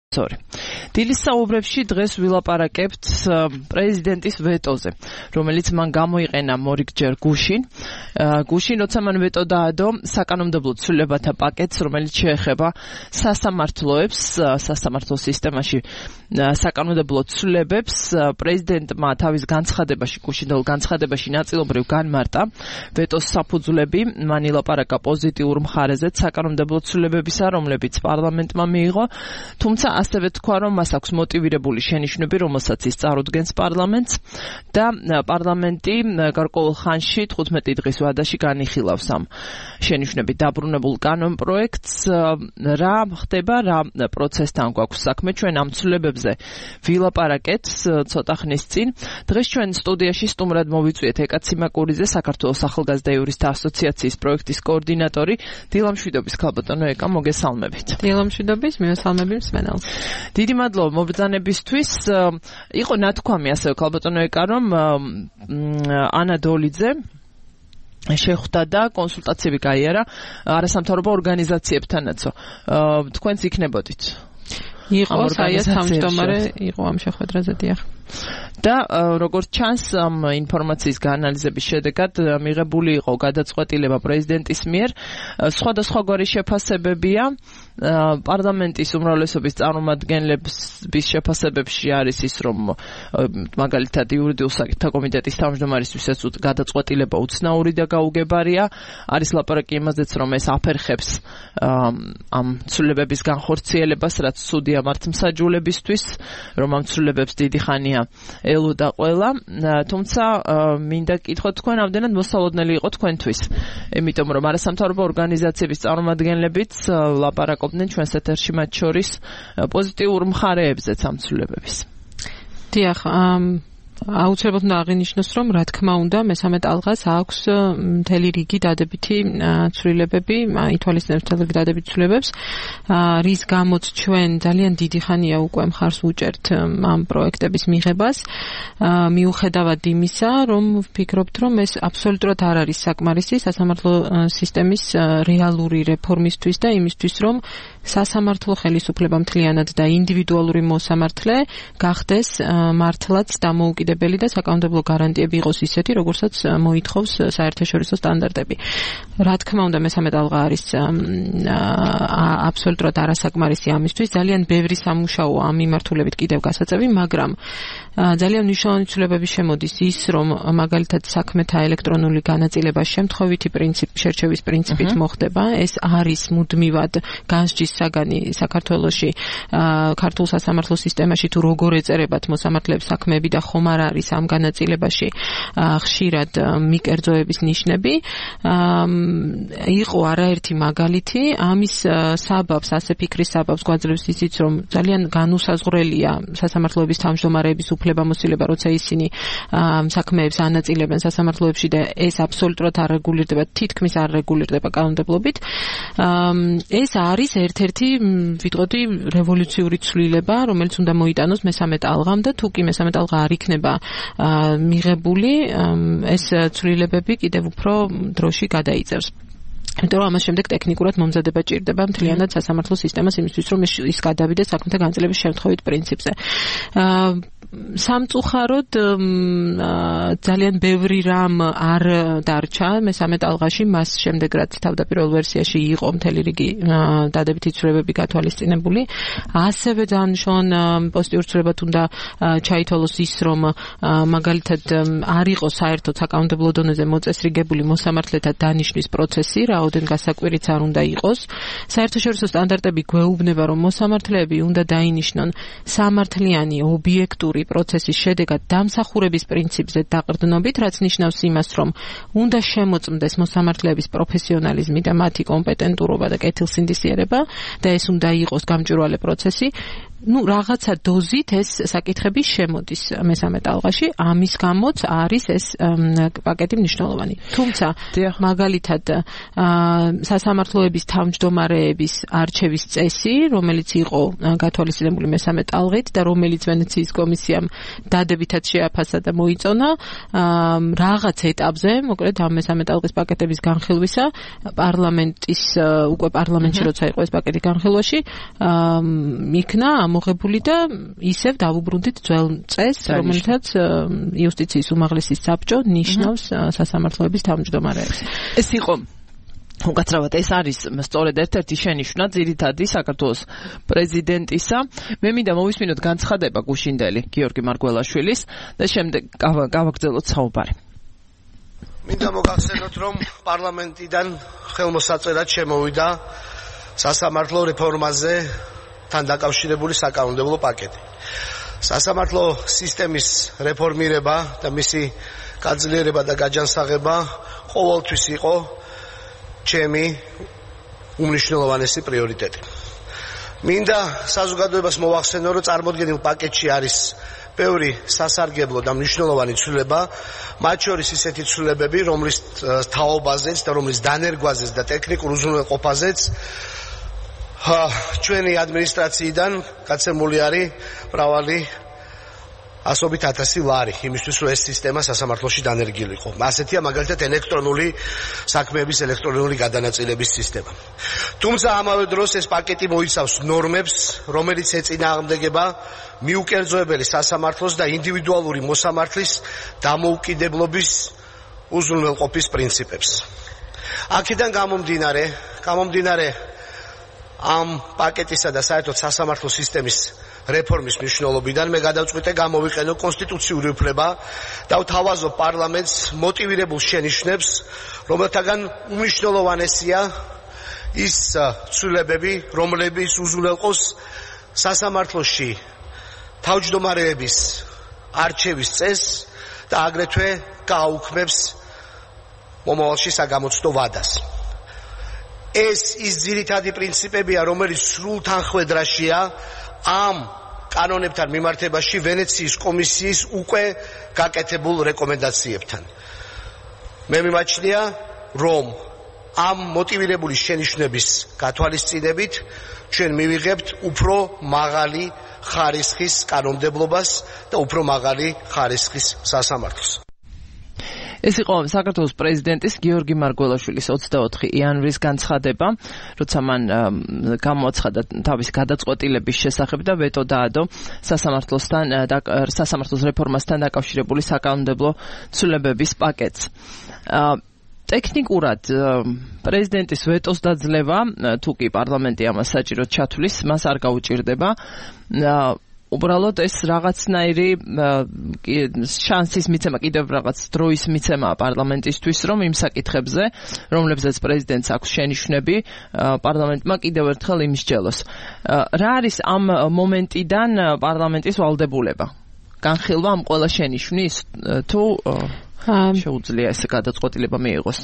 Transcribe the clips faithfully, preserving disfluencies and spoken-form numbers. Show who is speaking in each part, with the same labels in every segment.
Speaker 1: დილის საუბრებში დღეს ვილაპარაკებთ პრეზიდენტის ვეტოზე, რომელიც მან გამოიყენა მორიგჯერ გუშინ. გუშინ, როცა მან ვეტო დაადო საკანონმდებლო ცვლილებათა პაკეტს, რომელიც შეეხება სასამართლოებს, სასამართლო სისტემაში საკანონმდებლო ცვლილებებს, პრეზიდენტმა თავის განცხადებაში, გუშინდელ განცხადებაში ნაწილობრივ განმარტა ვეტოს საფუძვლები, მან ილაპარაკა პოზიტიურ მხარეზე საკანონმდებლო ცვლილებებისა, რომლებიც პარლამენტმა მიიღო, თუმცა ასევე თქვა, რომ მას აქვს მოტივირებული შენიშვნები, რომელსაც ის წარუდგენს პარლამენტს და პარლამენტი გარკვეულ ხანში თხუთმეტი დღის ვადაში განიხილავს ამ შენიშვნებით დაბრუნებულ კანონპროექტს. რა ხდება, რა პროცესთან გვაქვს საქმე, ჩვენ ამ ცვლილებებზე ვილაპარაკეთ ცოტა ხნის წინ. დღეს ჩვენ სტუდიაში სტუმრად მოვიწვიეთ ეკა ციმაკურიძე, საქართველოს ახალგაზრდა იურისტთა ასოციაციის პროექტის კოორდინატორი. დილამშვიდობის ქალბატონო ეკა, მოგესალმებით.
Speaker 2: დილამშვიდობის, მივესალმები მსმენელს.
Speaker 1: დიდი მადლობა მობრძანებისთვის. იყო ნათქვამი ასევე ქალბატონო ეკა, რომ ანა დოლიძე შეხვდა და კონსულტაციები გაიარა არასამთავრობო ორგანიზაციებთანაცო. თქვენც იქნებოდით?
Speaker 2: იყო, საიას თავმჯდომარე იყო ამ შეხვედრაზე, დიახ.
Speaker 1: და როგორც ჩანს, ამ ინფორმაციის გაანალიზების შედეგად მიღებული იყო გადაწყვეტილება პრეზიდენტის მიერ. სხვადასხვაგვარი შეფასებებია. პარლამენტის უმრავლესობის წარმომადგენლების შეფასებებში არის ის, რომ მაგალითად იურიდიულ საკითხთა კომიტეტის თავმჯდომარისთვის ეს გადაწყვეტილება უცნაური და გაუგებარია. არის ლაპარაკი იმაზეც, რომ ეს აფერხებს ამ ცვლილებების განხორციელებას, რაც სუდია მართლმსაჯულებისთვის, რომ ამ ცვლილებებს დიდი ხანია ელოდა ყველა. თუმცა მინდა გკითხოთ თქვენ, ამდენად მოსალოდნელი იყო თქვენთვის, იმიტომ რომ არასამთავრობო ორგანიზაციების წარმომადგენლებიც ლაპარაკობდნენ ჩვენს ეთერში, მათ შორის პოზიტიურ მხარეებზეც ამ ცვლილებების.
Speaker 2: დიახ, აუცილებლად უნდა აღინიშნოს, რომ რა თქმა უნდა მესამე ტალღას აქვს მთელი რიგი დადებითი ცვლილებები, ითვალისწინებს მთელი რიგი დადებითი ცვლილებებს, რის გამოც ჩვენ ძალიან დიდი ხანია უკვე მხარს უჭერთ ამ პროექტების მიღებას, მიუხედავად იმისა, რომ ვფიქრობთ, რომ ეს აბსოლუტურად არ არის საკმარისი სასამართლო სისტემის რეალური რეფორმისთვის და იმისთვის, რომ სასამართლო ხელისუფლება მთლიანად და ინდივიდუალური მოსამართლე გახდეს მართლაც დამოუკიდებელი და საკანონმდებლო გარანტიები იყოს ისეთი, როგორცაც მოითხოვს საერთაშორისო სტანდარტები. რა თქმა უნდა, მესამე ტალღა არის აბსოლუტურად არასაკმარისი ამისთვის, ძალიან ბევრი სამუშაო ამ მიმართულებით კიდევ გასაწევი, მაგრამ ძალიან მნიშვნელოვანი ცვლილებები შემოდის ის, რომ მაგალითად საქმეთა ელექტრონული განაწილება შემთხვევითი პრინციპ, შერჩევის პრინციპით მოხდება. ეს არის მუდმივად განსჯის საგანი საქართველოში, ქართულ სასამართლო სისტემაში თუ როგორ ეწერებათ მოსამართლეებს საქმეები და ხომ არ არის ამ განაწილებაში ხშირად მიკერძოების ნიშნები. იყო არაერთი მაგალითი, ამის საბაბს, ასე ფიქრის საბაბს გვაძლევს ისიც, რომ ძალიან განუსაზღვრელია სასამართლოების თავმჯდომარეების უფლებამოსილება, როცა ისინი საქმეებს ანაწილებენ სასამართლოებში და ეს აბსოლუტურად არ რეგულირდება, თითქმის არ რეგულირდება კანონმდებლობით. ეს არის ერთ-ერთი ვიტყოდი რევოლუციური ცვლილება, რომელიც უნდა მოიტანოს მესამე ტალღამ და თუ კი მესამე ტალღა არ იქნება მიღებული, ეს ცვლილებები კიდევ უფრო დროში გადაიწევს. იმიტომ რომ ამას შემდეგ ტექნიკურად მომზადება ჭირდება მთლიანად სასამართლო სისტემას იმისთვის, რომ ის გადავიდეს საქმეთა განაწილების შემთხვევით პრინციპზე. სამწუხაროდ ძალიან ბევრი რამ არ დარჩა მესამე ტალღაში, მას შემდეგ რაც თავდაპირველ ვერსიაში იყო მთელი რიგი დადებითი ცვლილებები გათვალისწინებული. ასევე ძალიან მნიშვნელოვანი პოზიტიური ცვლილებად უნდა ჩაითვალოს ის, რომ მაგალითად არ იყოს საერთოდ საკანონმდებლო დონეზე მოწესრიგებული მოსამართლეთა დანიშვნის პროცესი, რაოდენ გასაკვირიც არ უნდა იყოს. საერთაშორისო სტანდარტები გვეუბნება, რომ მოსამართლეები უნდა დაინიშნონ სამართლიანი ობიექტური პროცესის შედეგად დამსახურების პრინციპზე დაყრდნობით, რაც ნიშნავს იმას, რომ უნდა შემოწმდეს მოსამართლეების პროფესიონალიზმი და მათი კომპეტენტურობა და კეთილსინდისიერება და ეს უნდა იყოს გამჭვირვალე პროცესი. ну რაღაცა დოზით ეს საკითხები შემოდის მესამე ტალღაში, ამის გამოც არის ეს პაკეტი მნიშვნელოვანი. თუმცა მაგალითად სასამართლოების თავმჯდომარეების არჩევის წესი, რომელიც იყო გათვალისწინებული მესამე ტალღით და რომელიც ვენეციის კომისიამ დადებითად შეაფასა და მოიწონა, რაღაც ეტაპზე, მოკლედ ამ მესამე ტალღის პაკეტების განხილვისა, პარლამენტის უკვე პარლამენტში როცა იყო ეს პაკეტი განხილვაში, იქნა ამ ამოღებული და ისევ დავუბრუნდით ძველ წესს, რომელთაც იუსტიციის უმაღლესი საბჭო ნიშნავს სასამართლოების თავმჯდომარეებს.
Speaker 1: ეს იყო უკაცრავად ეს არის სწორედ ერთ-ერთი შენიშვნა ძირითადი საქართველოს პრეზიდენტისა. მე მინდა მოვისმინოთ განცხადება გუშინდელი გიორგი მარგველაშვილის და შემდეგ გავაგრძელოთ საუბარი.
Speaker 3: მინდა მოგახსენოთ, რომ პარლამენტიდან ხელმოსაწერად შემოვიდა სასამართლო რეფორმაზე თან დაკავშირებული საკანონმდებლო პაკეტი. სასამართლო სისტემის რეფორმირება და მისი გაძლიერება და გაჯანსაღება ყოველთვის იყო ჩემი უმნიშვნელოვანესი პრიორიტეტი. მინდა საზოგადოებას მოვახსენო, რომ წარმოდგენილ პაკეტში არის ბევრი სასარგებლო და მნიშვნელოვანი ცვლილება, მათ შორის ისეთი ცვლილებები, რომლის თაობაზეც და რომლის დანერგვაზეც და ტექნიკურ უზრუნველყოფაზეც ჩვენი ადმინისტრაციიდან გაცემული არის მრავალი ასობით ათასი ლარი იმისთვის, რომ ეს სისტემა სასამართლოში დანერგილიყო. ასეთია მაგალითად ელექტრონული საქმეების ელექტრონული გადანაწილების სისტემა. თუმცა ამავე დროს ეს პაკეტი მოიცავს ნორმებს, რომელიც ეწინააღმდეგება მიუკერძოებელი სასამართლოს და ინდივიდუალური მოსამართლის დამოუკიდებლობის უზრუნველყოფის პრინციპებს. აქედან გამომდინარე, გამომდინარე ამ პაკეტისა და საერთოდ სასამართლო სისტემის რეფორმის მნიშვნელობიდან მე გადავწყვიტე გამოვიყენო კონსტიტუციური უფლება და ვთავაზობ პარლამენტს მოტივირებულ შენიშვნებს, რომელთაგან უმნიშვნელოვანესია ის ცვლილებები, რომლებიც უზრუნველყოს სასამართლოში თავმჯდომარეების არჩევის წესს და აგრეთვე გააუქმებს მომავალში საგამოცდო ვადას. ეს ის ძირითადი პრინციპებია, რომელიც სრულ თანხვედრაშია ამ კანონებთან მიმართებაში ვენეციის კომისიის უკვე გაკეთებულ რეკომენდაციებთან. მე მიმაჩნია, რომ ამ მოტივირებული შენიშვნების გათვალისწინებით ჩვენ მივიღებთ უფრო მაღალი ხარისხის კანონმდებლობას და უფრო მაღალი ხარისხის სასამართლოს.
Speaker 1: ეს იყო საქართველოს პრეზიდენტის გიორგი მარგველაშვილის ოცდაოთხი იანვრის განცხადება, როცა მან გამოაცხადა თავისი გადაწყვეტილების შესახებ და ვეტო დაადო სასამართლოსთან სასამართლოს რეფორმასთან დაკავშირებული საკანონმდებლო ცვლილებების პაკეტს. ტექნიკურად პრეზიდენტის ვეტოს დაძლევა, თუ კი პარლამენტი ამას საჭიროდ ჩათვლის, მას არ გაუჭირდება. უბრალოდ ეს რაღაცნაირი შანსის მიცემა, კიდევ რაღაც დროის მიცემა პარლამენტისთვის, რომ იმ საკითხებზე, რომლებზეც პრეზიდენტს აქვს შენიშვნები, პარლამენტმა კიდევ ერთხელ იმსჯელოს. რა არის ამ მომენტიდან პარლამენტის ვალდებულება? განხილვა ამ ყველა შენიშვნის თუ შეუძლია ეს გადაწყვეტილება მიიღოს?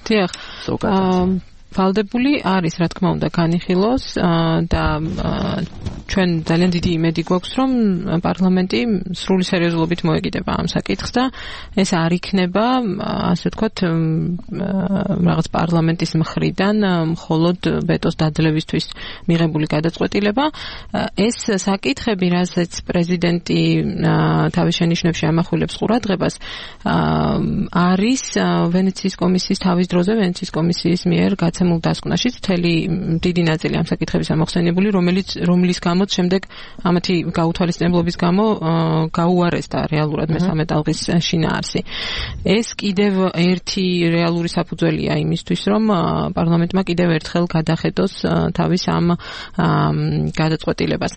Speaker 2: დიახ. ვალდებული არის, რა თქმა უნდა, განიხილოს და ჩვენ ძალიან დიდი იმედი გვაქვს, რომ პარლამენტი სრული სერიოზულობით მოეკიდება ამ საკითხს და ეს არ იქნება, ასე ვთქვათ, რაღაც პარლამენტის მხრიდან მხოლოდ ვეტოს დაძლევისთვის მიღებული გადაწყვეტილება. ეს საკითხები, რასაც პრეზიდენტი თავის შენიშვნებში ამახვილებს ყურადღებას, არის ვენეციის კომისიის თავის დროზე ვენეციის კომისიის მიერ გაცემულ დასკვნაში მთელი დიდი ნაწილი ამ საკითხების ამოხსენებული, რომელიც რომლის გამოც შემდეგ ამათი გაუთვალისწინებლობის გამო გაუარესდა რეალურად მესამე ტალღის შინაარსი. ეს კიდევ ერთი რეალური საფუძველია იმისთვის, რომ პარლამენტმა კიდევ ერთხელ გადახედოს თავის ამ გადაწყვეტილებას.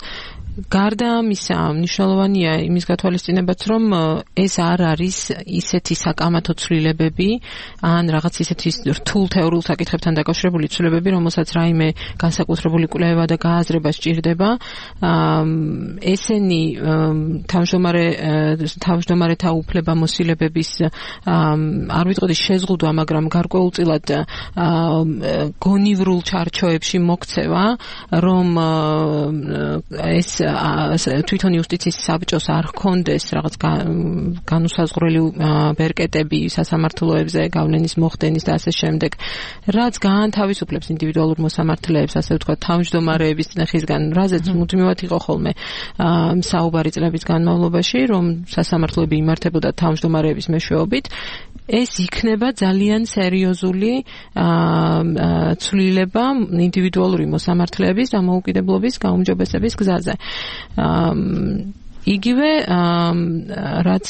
Speaker 2: გარდა ამისა, მნიშვნელოვანია იმის გათვალისწინებაც, რომ ეს არ არის ისეთი საკამათო ცვლილებები, ან რაღაც ისეთი რთულ თეორიულ საკითხებთან დაკავშირებული ცვლილებები, რომელსაც რაიმე განსაკუთრებული კვლევა და გააზრება სჭირდება. ესენი თავმჯდომარე თავმჯდომარეთა უფლებამოსილებების არ ვიტყოდი შეზღუდვა, მაგრამ გარკვეულწილად გონივრულ ჩარჩოებში მოქცევა, რომ ეს თვითონ იუსტიციის საბჭოს არ ჰქონდეს რაღაც განუსაზღვრელი ბერკეტები სასამართლოებზე, გავლენის მოხდენის და ასე შემდეგ, რაც გაანთავისუფლებს ინდივიდუალურ მოსამართლეებს, ასე ვთქვათ, თავმჯდომარეების წნეხისგან, რაზეც მუდმივად იყო ხოლმე საუბარი წლების განმავლობაში, რომ სასამართლოები იმართებოდა თავმჯდომარეების მეშვეობით. ეს იქნება ძალიან სერიოზული ცვლილება ინდივიდუალური მოსამართლეების დამოუკიდებლობის გაუმჯობესების გზაზე. იგივე რაც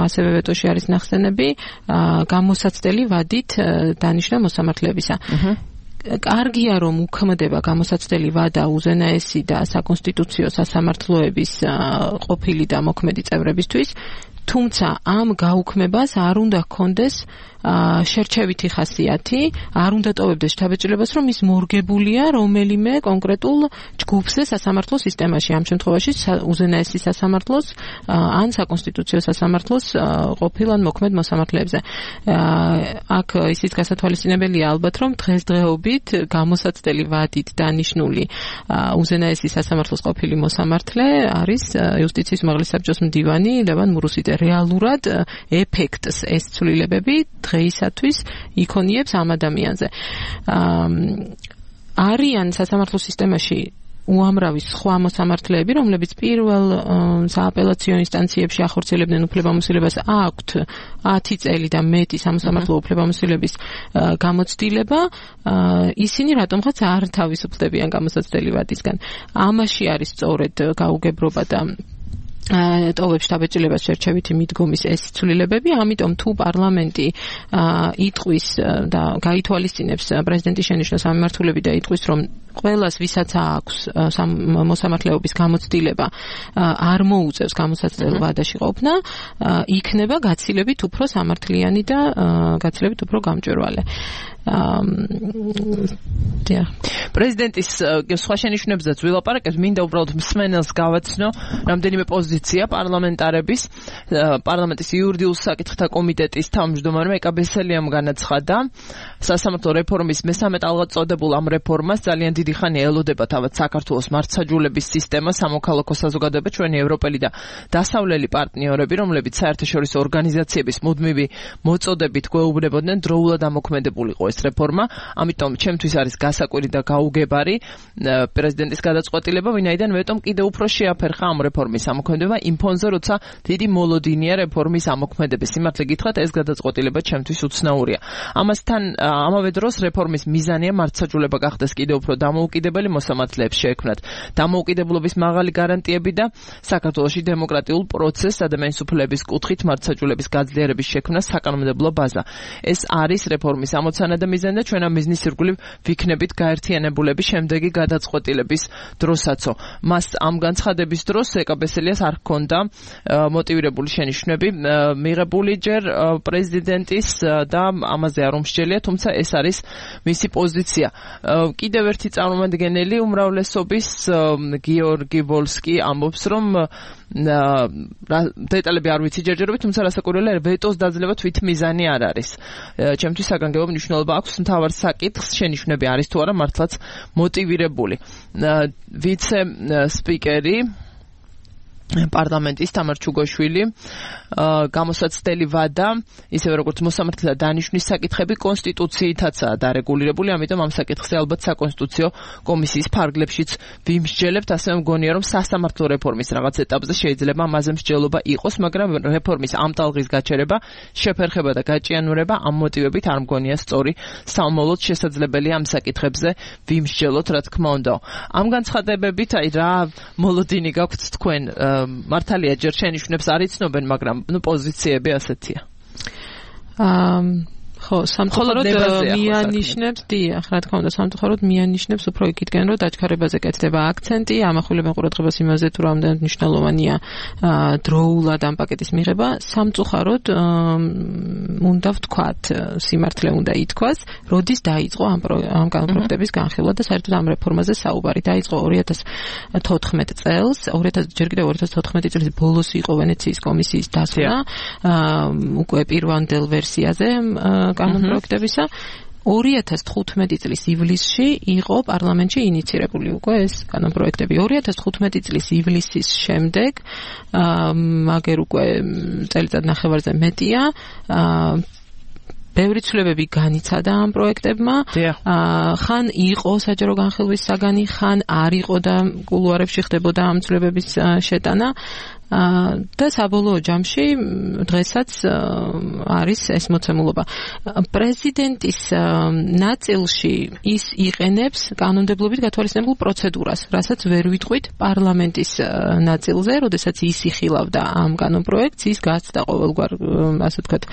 Speaker 2: ასევე ვეტოში არის ნახსენები გამოსაცდელი ვადით დანიშნა მოსამართლეებისა. კარგია რომ უქმდება გამოსაცდელი ვადა უზენაესი და საკონსტიტუციო სასამართლოების ყოფილი და მოქმედი წევრებისთვის, თუმცა ამ გაუქმებას არ უნდა ჰქონდეს შერჩევითი ხასიათი, არ უნდა ტოვებდეს შთაბეჭდილებას, რომ ის მორგებულია რომელიმე კონკრეტულ ჯგუფზე სასამართლო სისტემაში, ამ შემთხვევაში უზენაესი სასამართლოს ან საკონსტიტუციო სასამართლოს ყოფილ ან მოქმედ მოსამართლეებზე. აქ ისიც გასათვალისწინებელია ალბათ, რომ დღესდღეობით გამოსაცდელი ვადით დანიშნული უზენაესი სასამართლოს ყოფილი მოსამართლე არის იუსტიციის უმაღლესი საბჭოს მდივანი ლევან მურუსიძე. რეალურად ეფექტს ეს ცვლილებები დღეისათვის იქონიებს ამ ადამიანზე. არიან სასამართლო სისტემაში უამრავი სხვა მოსამართლეები, რომლებიც პირველ სააპელაციო ინსტანციებში ახორციელებდნენ უფლებამოსილებას, აქვთ ათი წელი და მეტი სამოსამართლო უფლებამოსილების გამოცდილება, ისინი რატომღაც არ თავისუფლდებიან გამოსაცდელი ვადისგან. ამაში არის სწორედ გაუგებრობა და ტოვებს შთაბეჭდილებას შერჩევითი მიდგომის ეს ცვლილებები, ამიტომ თუ პარლამენტი იტყვის და გაითვალისწინებს პრეზიდენტის შენიშვნას სამმართველები და იტყვის, რომ ყველას ვისაც აქვს მოსამართლეობის გამოცდილება არ მოუწევს გამოსაცდელ ვადაში ყოფნა, იქნება გაცილებით უფრო სამართლიანი და გაცილებით უფრო გამჭვირვალე.
Speaker 1: პრეზიდენტის სხვა შენიშვნებზეც ვილაპარაკებთ, მინდა უბრალოდ მსმენელს გავაცნო რამდენიმე პოზიცია პარლამენტარების. პარლამენტის იურიდიულ საკითხთა კომიტეტის თავმჯდომარემ ეკა ბესელიამ განაცხადა, სასამართლო რეფორმის მესამე ტალღად წოდებულ ამ რეფორმას ძალიან დიდი ხანი ელოდება თავად საქართველოს მართლმსაჯულების სისტემა, სამოქალაქო საზოგადოება, ჩვენი ევროპელი და დასავლელი პარტნიორები, რომლებიც საერთაშორისო ორგანიზაციების მუდმივი მოწოდებით გვეუბნებოდნენ დროულად ამოქმედებულიყო ეს რეფორმა, ამიტომ ჩემთვის არის გასაკვირი და გაუგებარი პრეზიდენტის გადაწყვეტილება, ვინაიდან ვეტომ კიდევ უფრო შეაფერხა ამ რეფორმის ამოქმედება იმ ფონზე, როცა დიდი მოლოდინია რეფორმის ამოქმედების. სიმართლე გითხრათ, ეს გადაწყვეტილება ჩემთვის უცნაურია. ამასთან ამავე დროს რეფორმის მიზანია მართლმსაჯულება გახდეს კიდევ უფრო დამოუკიდებელი, მოსამართლეებს შეექმნათ დამოუკიდებლობის მაღალი გარანტიები და საქართველოში დემოკრატიულ პროცესს ადამიანის უფლებების კუთხით მართლმსაჯულების გაძლიერების შექმნას საკანონმდებლო ბაზა. ეს არის რეფორმის ამოცანა და მიზანი და ჩვენ ამ მიზნის ირგვლივ ვიქნებით გაერთიანებულები შემდეგი გადაწყვეტილების დროსაც. მას ამ განცხადების დროს ეკა ბესელიას არ ჰქონდა მოტივირებული შენიშვნები მიღებული ჯერ პრეზიდენტის და ამაზე არ უმსჯელია, თუმცა ეს არის მისი პოზიცია. კიდევ ერთი წარმომადგენელი უმრავლესობის გიორგი ვოლსკი ამბობს, რომ დეტალები არ ვიცი ჯერჯერობით, თუმცა რასაკვირველია, ვეტოს დაძლევა თვით მიზანი არ არის. ჩემთვის საგანგებო მნიშვნელობა აქვს მთავარ საკითხს, შენიშვნები არის თუ არა მართლაც მოტივირებული. ვიცე სპიკერი პარლამენტის თამარ ჩუგოშვილი გამოსაცდელი ვადა, ისევე როგორც მოსამართლეთა დანიშვნის საკითხები კონსტიტუციითაცაა დარეგულირებული, ამიტომ ამ საკითხზე ალბათ საკონსტიტუციო კომისიის ფარგლებშიც ვიმსჯელებთ. ასევე მგონია, რომ სასამართლო რეფორმის რაღაც ეტაპზე შეიძლება ამაზე მსჯელობა იყოს, მაგრამ რეფორმის ამ ტალღის გაჩერება, შეფერხება და გაჭიანურება ამ მოტივებით არ მგონია სწორი. სამომავლოდ შესაძლებელია ამ საკითხებზე ვიმსჯელოთ, რა თქმა უნდა. ამ განცხადებებით, აი რა მოლოდინი გაქვთ თქვენ? მართალია ჯერ შენიშვნებს არ იცნობენ, მაგრამ ნუ პოზიციები ასეთია.
Speaker 2: აა ხო, სამწუხაროდ მიანიშნებს, დიახ, რა თქმა უნდა, სამწუხაროდ მიანიშნებს უფრო იქითკენ, რომ დაჩქარებაზე კეთდება აქცენტი, ამახვილებენ ყურადღებას იმაზე, თუ რამდენად მნიშვნელოვანია დროულად ამ პაკეტის მიღება. სამწუხაროდ უნდა ვთქვათ, სიმართლე უნდა ითქვას, როდის დაიწყო ამ ამ პროექტების განხილვა და საერთოდ ამ რეფორმაზე საუბარი. დაიწყო ორი ათას თოთხმეტ წელს, ჯერ კიდევ ორი ათას თოთხმეტი წლის ბოლოს იყო ვენეციის კომისიის დასვლა, უკვე პირვანდელ ვერსიაზე კანონპროექტებისა. ორი ათას თხუთმეტი წლის ივლისში იყო პარლამენტში ინიცირებული უკვე ეს კანონპროექტები. ორი ათას თხუთმეტი წლის ივლისის შემდეგ, მაგერ უკვე წელიწად ნახევარზე მეტია, ბევრი ცვლილებები განიცადა ამ პროექტებმა. ხან იყო საჯარო განხილვის საგანი, ხან არ იყო და კულუარებში ხდებოდა ამ ცვლილებების შეტანა. და საბოლოო ჯამში დღესაც არის ეს მოცემულობა. პრეზიდენტის ნაწილში ის იყენებს კანონმდებლობით გათვალისწინებულ პროცედურას, რასაც ვერ ვიტყვით პარლამენტის ნაწილზე, როდესაც ის იხილავდა ამ კანონპროექტს, ის გაცდა ყოველგვარ, ასე ვთქვათ,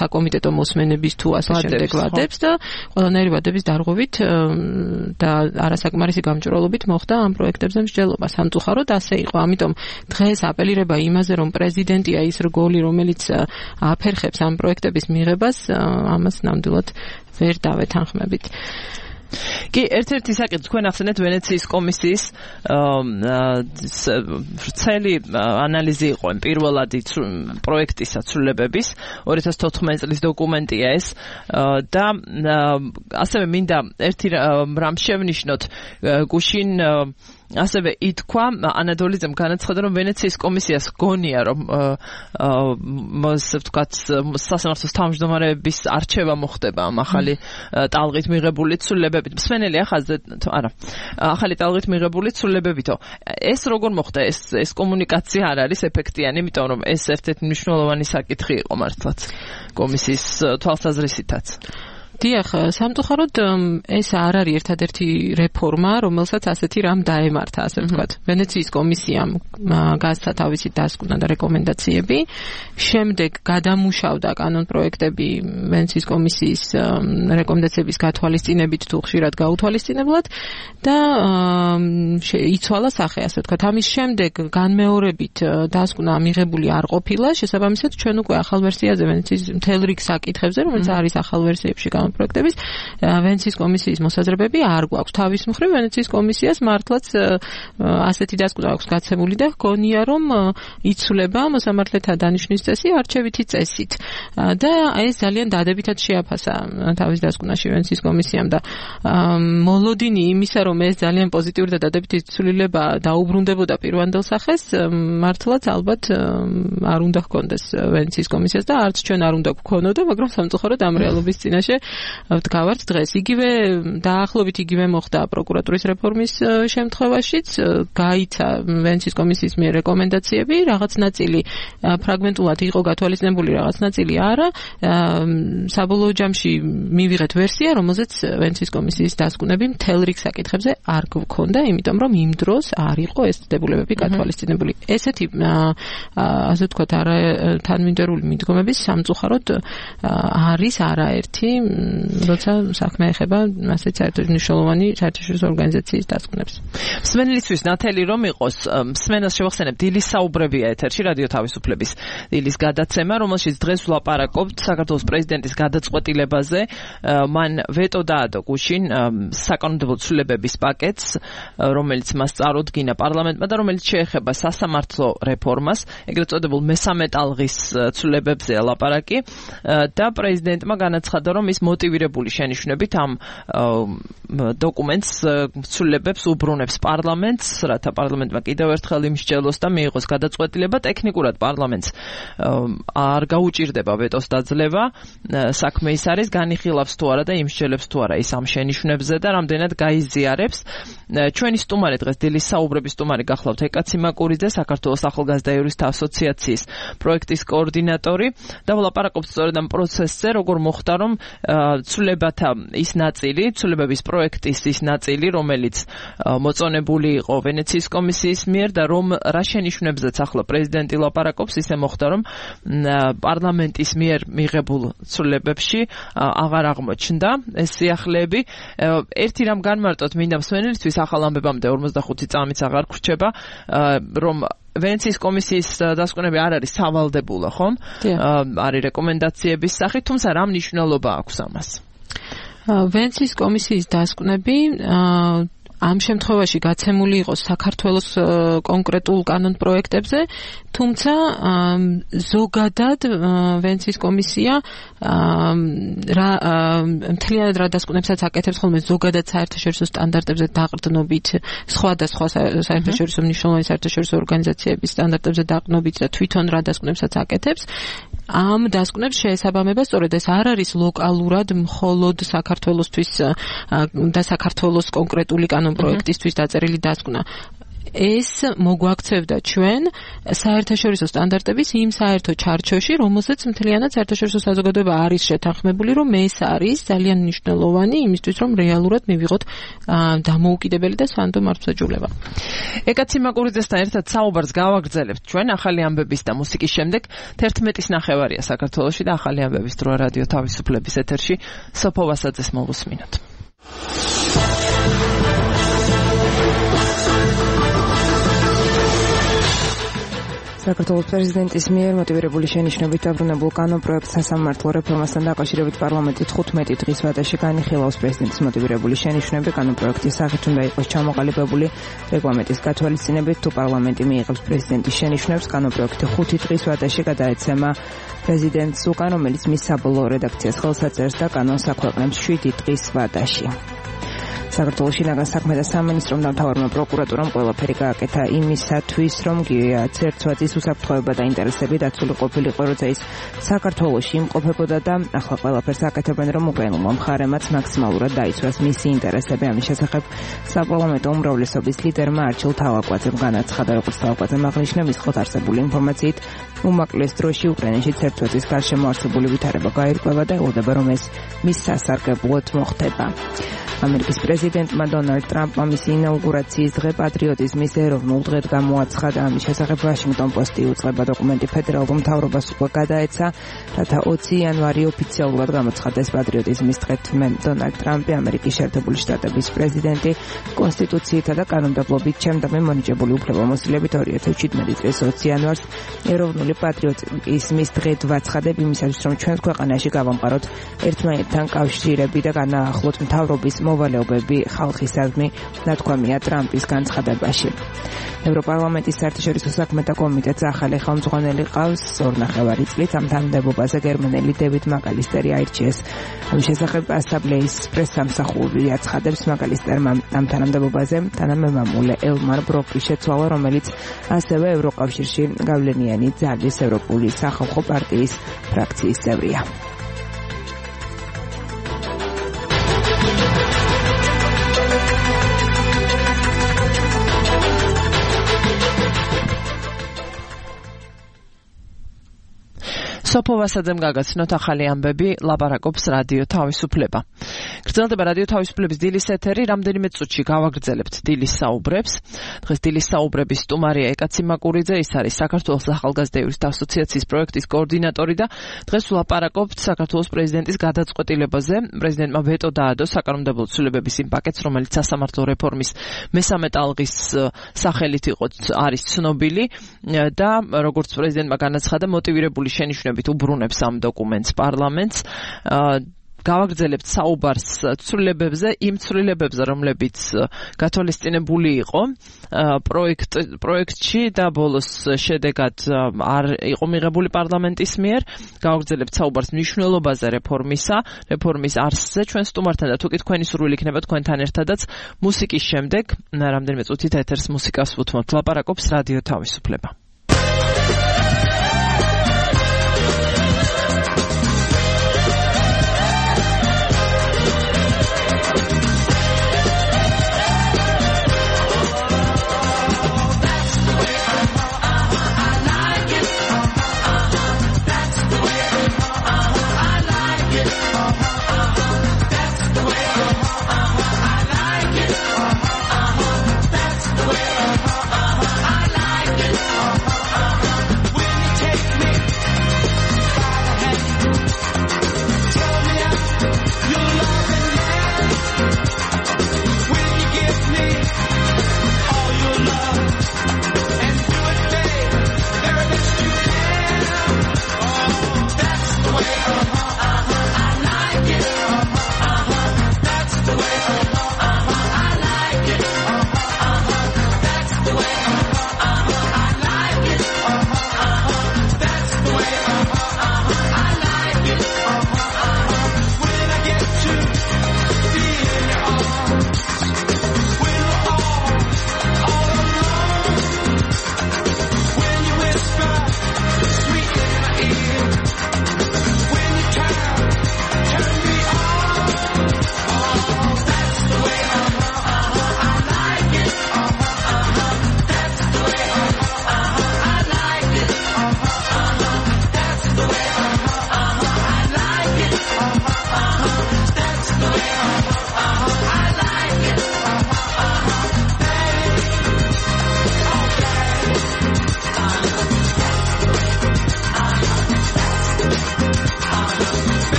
Speaker 2: საკომიტეტო მოსმენების თუ ასე შემდეგ ვადებს და ყველანაირი ვადების დარღვევით და არასაკმარისი გამჭვირვალობით მოხდა ამ პროექტებზე მსჯელობა. სამწუხაროდ ასე იყო, ამიტომ დღეს აპელირება იმაზე, რომ პრეზიდენტია ის რგოლი, რომელიც აფერხებს ამ პროექტების მიღებას, ამას ნამდვილად ვერ დავეთანხმებით.
Speaker 1: კი, ერთ-ერთი საკითხი თქვენ ახსენეთ ვენეციის კომისიის ვრცელი ანალიზი იყო პირველადი პროექტის საცვლილებების ორი ათას თოთხმეტი წლის დოკუმენტია ეს და ასევე მინდა ერთი რამ შევნიშნოთ გუშინ ასევე ითქვა ანადოლიძემ განაცხადა რომ ვენეციის კომისიას გონია რომ ასე ვთქვათ სასამართლოს თავმჯდომარეების არჩევა მოხდება ამ ახალი ტალღით მიღებული ცვლილებებით. მსმენელი ახალზე არა ახალი ტალღით მიღებული ცვლილებებითო ეს როგორ მოხდა ეს ეს კომუნიკაცია არ არის ეფექტიანი, იმიტომ რომ ეს ერთ-ერთი მნიშვნელოვანი საკითხი იყო მართლაც კომისიის თვალსაზრისითაც. დიახ, სამწუხაროდ ეს არ არის ერთადერთი რეფორმა, რომელსაც ასეთი რამ დაემართა, ასე ვთქვათ. ვენეციის კომისიამ გასცა თავისი დასკვნა და რეკომენდაციები, შემდეგ გადამუშავდა კანონპროექტები ვენეციის კომისიის რეკომენდაციების გათვალისწინებით თუ ხშირად გაუთვალისწინებლად და იცვალა სახე, ასე ვთქვათ. ამის შემდეგ განმეორებით დასკვნა მიღებული არ ყოფილა, შესაბამისად ჩვენ უკვე ახალ ვერსიაზე ვენეციის მთელ რიგ საკითხებზე, რომელიც არის ახალ ვერსიებში პროექტების ვენეციის კომისიის მოსაზრებები არ გვაქვს. თავის მხრივ ვენეციის კომისიას მართლაც ასეთი დასკვნა აქვს გაცემული და გონია რომ იცვლება მოსამართლეთა დანიშვნის წესი არჩევითი წესით. და ეს ძალიან დადებითად შეაფასა თავის დასკვნაში ვენეციის კომისიამ და მოლოდინი იმისა რომ ეს ძალიან პოზიტიური და დადებითი ცვლილება დაუბრუნდებოდა პირვანდელ სახეს, მართლაც ალბათ არ უნდა ჰქონდეს ვენეციის კომისიას და არც ჩვენ არ უნდა გვქონოდა, მაგრამ სამწუხაროდ ამ რეალობის წინაშე ვდგავართ დღეს. იგივე დაახლოებით იგივე მოხდა პროკურატურის რეფორმის შემთხვევაშიც, გაიცა ვენეციის კომისიის მიერ რეკომენდაციები, რაღაც ნაწილი ფრაგმენტულად იყო გათვალისწინებული, რაღაც ნაწილი არა. საბოლოო ჯამში მივიღეთ ვერსია, რომელზეც ვენეციის კომისიის დასკვნები მთელ რიგ საკითხებზე არ გვქონდა, იმიტომ რომ იმ დროს არ იყო ეს დებულებები გათვალისწინებული. ესეთი ასე ვთქვათ, არა თანმიმდევრული მიდგომების სამწუხაროდ არის არაერთი როცა საქმე ეხება ასეთ საერთოდ მნიშვნელოვანი საერთაშორისო ორგანიზაციის დასკვნებს. მსმენელისთვის ნათელი რომ იყოს, მსმენელს შევახსენებთ დილის საუბრებია ეთერში რადიო თავისუფლების დილის გადაცემა, რომელშიც დღეს ვლაპარაკობთ საქართველოს პრეზიდენტის გადაწყვეტილებაზე. მან ვეტო დაადო გუშინ საკანონმდებლო ცვლილებების პაკეტს, რომელიც მას წარუდგინა პარლამენტმა და რომელიც შეეხება სასამართლო რეფორმას, ეგრეთ წოდებულ მესამე ტალღის ცვლილებებზეა ლაპარაკი და პრეზიდენტმა განაცხადა რომ ის მოტივირებული შენიშვნებით ამ დოკუმენტს ცვლილებებს უბრუნებს პარლამენტს, რათა პარლამენტმა კიდევ ერთხელ იმსჯელოს და მიიღოს გადაწყვეტილება. ტექნიკურად პარლამენტს არ გაუჭირდება ვეტოს დაძლევა, საქმე ის არის განიხილავს თუ არა და იმსჯელებს თუ არა ის ამ შენიშვნებზე და რამდენად გაიზიარებს. ჩვენი სტუმარი დღეს დილის საუბრების სტუმარი გახლავთ ეკა ციმაკურიძე, საქართველოს ახალგაზრდა იურისტთა ასოციაციის პროექტის კოორდინატორი და ვლაპარაკობთ სწორედ ამ პროცესზე, როგორ მოხდა რომ ცვლილებათა ის ნაწილი, ცვლილებების პროექტის ის ნაწილი, რომელიც მოწონებული იყო ვენეციის კომისიის მიერ და რომ რა შენიშვნებზეც ახლა პრეზიდენტი ლაპარაკობს, ისე მოხდა რომ პარლამენტის მიერ მიღებულ ცვლილებებში აღარ აღმოჩნდა ეს სიახლეები. ერთი რამ განმარტოთ მინდა მსმენელისთვის ახალ ამბებამდე ორმოცდახუთი წამიც აღარ გრჩება, რომ ვენეციის კომისიის დასკვნები არ არის სავალდებულო, ხომ? არის რეკომენდაციების სახით, თუმცა რა მნიშვნელობა აქვს ამას?
Speaker 2: ვენეციის კომისიის დასკვნები ამ შემთხვევაში გაცემული იყო საქართველოს კონკრეტულ კანონპროექტებზე, თუმცა ზოგადად ვენეციის კომისია რა მთლიანად რა დასკვნებსაც აკეთებს ხოლმე ზოგადად საერთაშორისო სტანდარტებზე დაყრდნობით, სხვადასხვა საერთაშორისო მნიშვნელოვანი საერთაშორისო ორგანიზაციების სტანდარტებზე დაყრდნობით და თვითონ რა დასკვნებსაც აკეთებს. ამ დასკვნებს შეესაბამება სწორედ ეს არ არის ლოკალურად მხოლოდ საქართველოსთვის და საქართველოს კონკრეტული კანონპროექტისთვის დაწერილი დასკვნა. ეს მოგვაქცევდა ჩვენ საერთაშორისო სტანდარტების იმ საერთო ჩარჩოში, რომელსაც მთლიანად საერთაშორისო საზოგადოება არის შეთანხმებული, რომ ეს არის ძალიან მნიშვნელოვანი იმისთვის, რომ რეალურად მივიღოთ დამოუკიდებელი და სანდო მართლმსაჯულება.
Speaker 1: ეკაცი მაკურიძესთან ერთად საუბარს გავაგრძელებთ ჩვენ ახალი ამბების და მუსიკის შემდეგ. თერთმეტის ნახევარია საქართველოში და ახალი ამბების დრო რადიო თავისუფლების ეთერში. სოფო ვასაძეს მოვუსმინოთ.
Speaker 4: საქართველოს პრეზიდენტის მიერ მოტივირებული შენიშვნებით დაბრუნებულ კანონპროექტს სასამართლო რეფორმასთან დაკავშირებით პარლამენტი თხუთმეტი დღის ვადაში განიხილავს. პრეზიდენტის მოტივირებული შენიშვნები კანონპროექტის სახით უნდა იყოს ჩამოყალიბებული რეგლამენტის გათვალისწინებით. თუ პარლამენტი მიიღებს პრეზიდენტის შენიშვნებს, კანონპროექტი ხუთი დღის ვადაში გადაეცემა პრეზიდენტს უკან, რომელიც მის საბოლოო რედაქციას ხელს აწერს და კანონს აქვეყნებს შვიდი დღის ვადაში. საქართველოს შინაგან საქმეთა სამინისტრომ და მთავარმა პროკურატურამ ყველაფერი გააკეთა იმისათვის, რომ გიაც ერთვაძის უსაფრთხოება და ინტერესები დაცული ყოფილიყო, როცა ის საქართველოში იმყოფებოდა და ახლა ყველაფერს აკეთებენ, რომ უკრაინულმა მხარემაც მაქსიმალურად დაიცვას მისი ინტერესები. ამის შესახებ საპარლამენტო უმრავლესობის ლიდერმა არჩილ თავაკვაძემ განაცხადა, როგორც თავაკვაძემ აღნიშნა, მის ხოთ არსებული ინფორმაციით უმაკლეს დროში უკრაინაშიც ერთვაძის გარშემო არსებული ვითარება გაირკვევა და ელოდება, რომ ეს მის სასარგებლოდ მოხდება. ამერიკის პრეზიდენტმა დონალდ ტრამპმა მისი ინაუგურაციის დღე პატრიოტიზმის ეროვნულ დღედ გამოაცხადა. ამის შესახებ ვაშინგტონ პოსტი უწყება დოკუმენტი ფედერალურ მთავრობას უკვე გადაეცა, რათა ოცი იანვარი ოფიციალურად გამოცხადდეს პატრიოტიზმის დღედ. დონალდ ტრამპი, ამერიკის შეერთებული შტატების პრეზიდენტი, კონსტიტუციითა და კანონმდებლობით ჩემდამე მონიჭებული უფლებამოსილებით ორი ათას შვიდმეტი წლის ოცი იანვარს ეროვნული პატრიოტიზმის დღედ ვაცხადებ იმისათვის, რომ ჩვენს ქვეყანაში გავამყაროთ ერთმანეთთან კავშირები და განაახლოთ მთავრობის მოვალეობები ხალხისადმი, ნათქვამია ტრამპის განცხადებაში. ევროპარლამენტის საერთაშორისო საქმეთა კომიტეტს ახალი ხელმძღვანელი ყავს. ორნახევარი წლით ამ თანამდებობაზე გერმანელი დევიდ მაკალისტერი აირჩიეს. ამის შესახებ ასამბლეის პრესსამსახური აცხადებს, მაკალისტერმა ამ თანამდებობაზე თანამემამულე ელმარ ბროკი შეცვალა, რომელიც ასევე ევროკავშირში გავლენიანი ძალის ევროპული სახალხო პარტიის ფრაქციის წევრია.
Speaker 1: სოფო ვასაძემ გაგაცნოთ ახალი ამბები, ლაპარაკობს რადიო თავისუფლება. გრძელდება რადიო თავისუფლების დილის ეთერი, რამდენიმე წუთში გავაგრძელებთ დილის საუბრებს. დღეს დილის საუბრების სტუმარია ეკაცი მაკურიძე, ის არის საქართველოს ახალგაზრდა იურისტთა ასოციაციის პროექტის კოორდინატორი და დღეს ვლაპარაკობთ საქართველოს პრეზიდენტის გადაწყვეტილებაზე. პრეზიდენტმა ვეტო დაადო საკანონმდებლო ცვლილებების იმ პაკეტს, რომელიც სასამართლო რეფორმის მესამე ტალღის სახელით იყო არის ცნობილი და როგორც პრეზიდენტმა განაცხადა, მოტივირებული შენიშვნებით უბრუნებს ამ დოკუმენტს პარლამენტს. გავაგრძელებთ საუბარს ცვლილებებზე, იმ ცვლილებებზე, რომლებიც გათვალისწინებული იყო პროექტ პროექტში და ბოლოს შედეგად არ იყო მიღებული პარლამენტის მიერ. გავაგრძელებთ საუბარს მნიშვნელობაზე რეფორმისა, რეფორმის არსზე ჩვენ სტუმართან და თუ კი თქვენი სურვილი იქნება თქვენთან ერთადაც მუსიკის შემდეგ, რამდენიმე წუთით ეთერს მუსიკას ვუთმობთ. ლაპარაკობს რადიო თავისუფლება.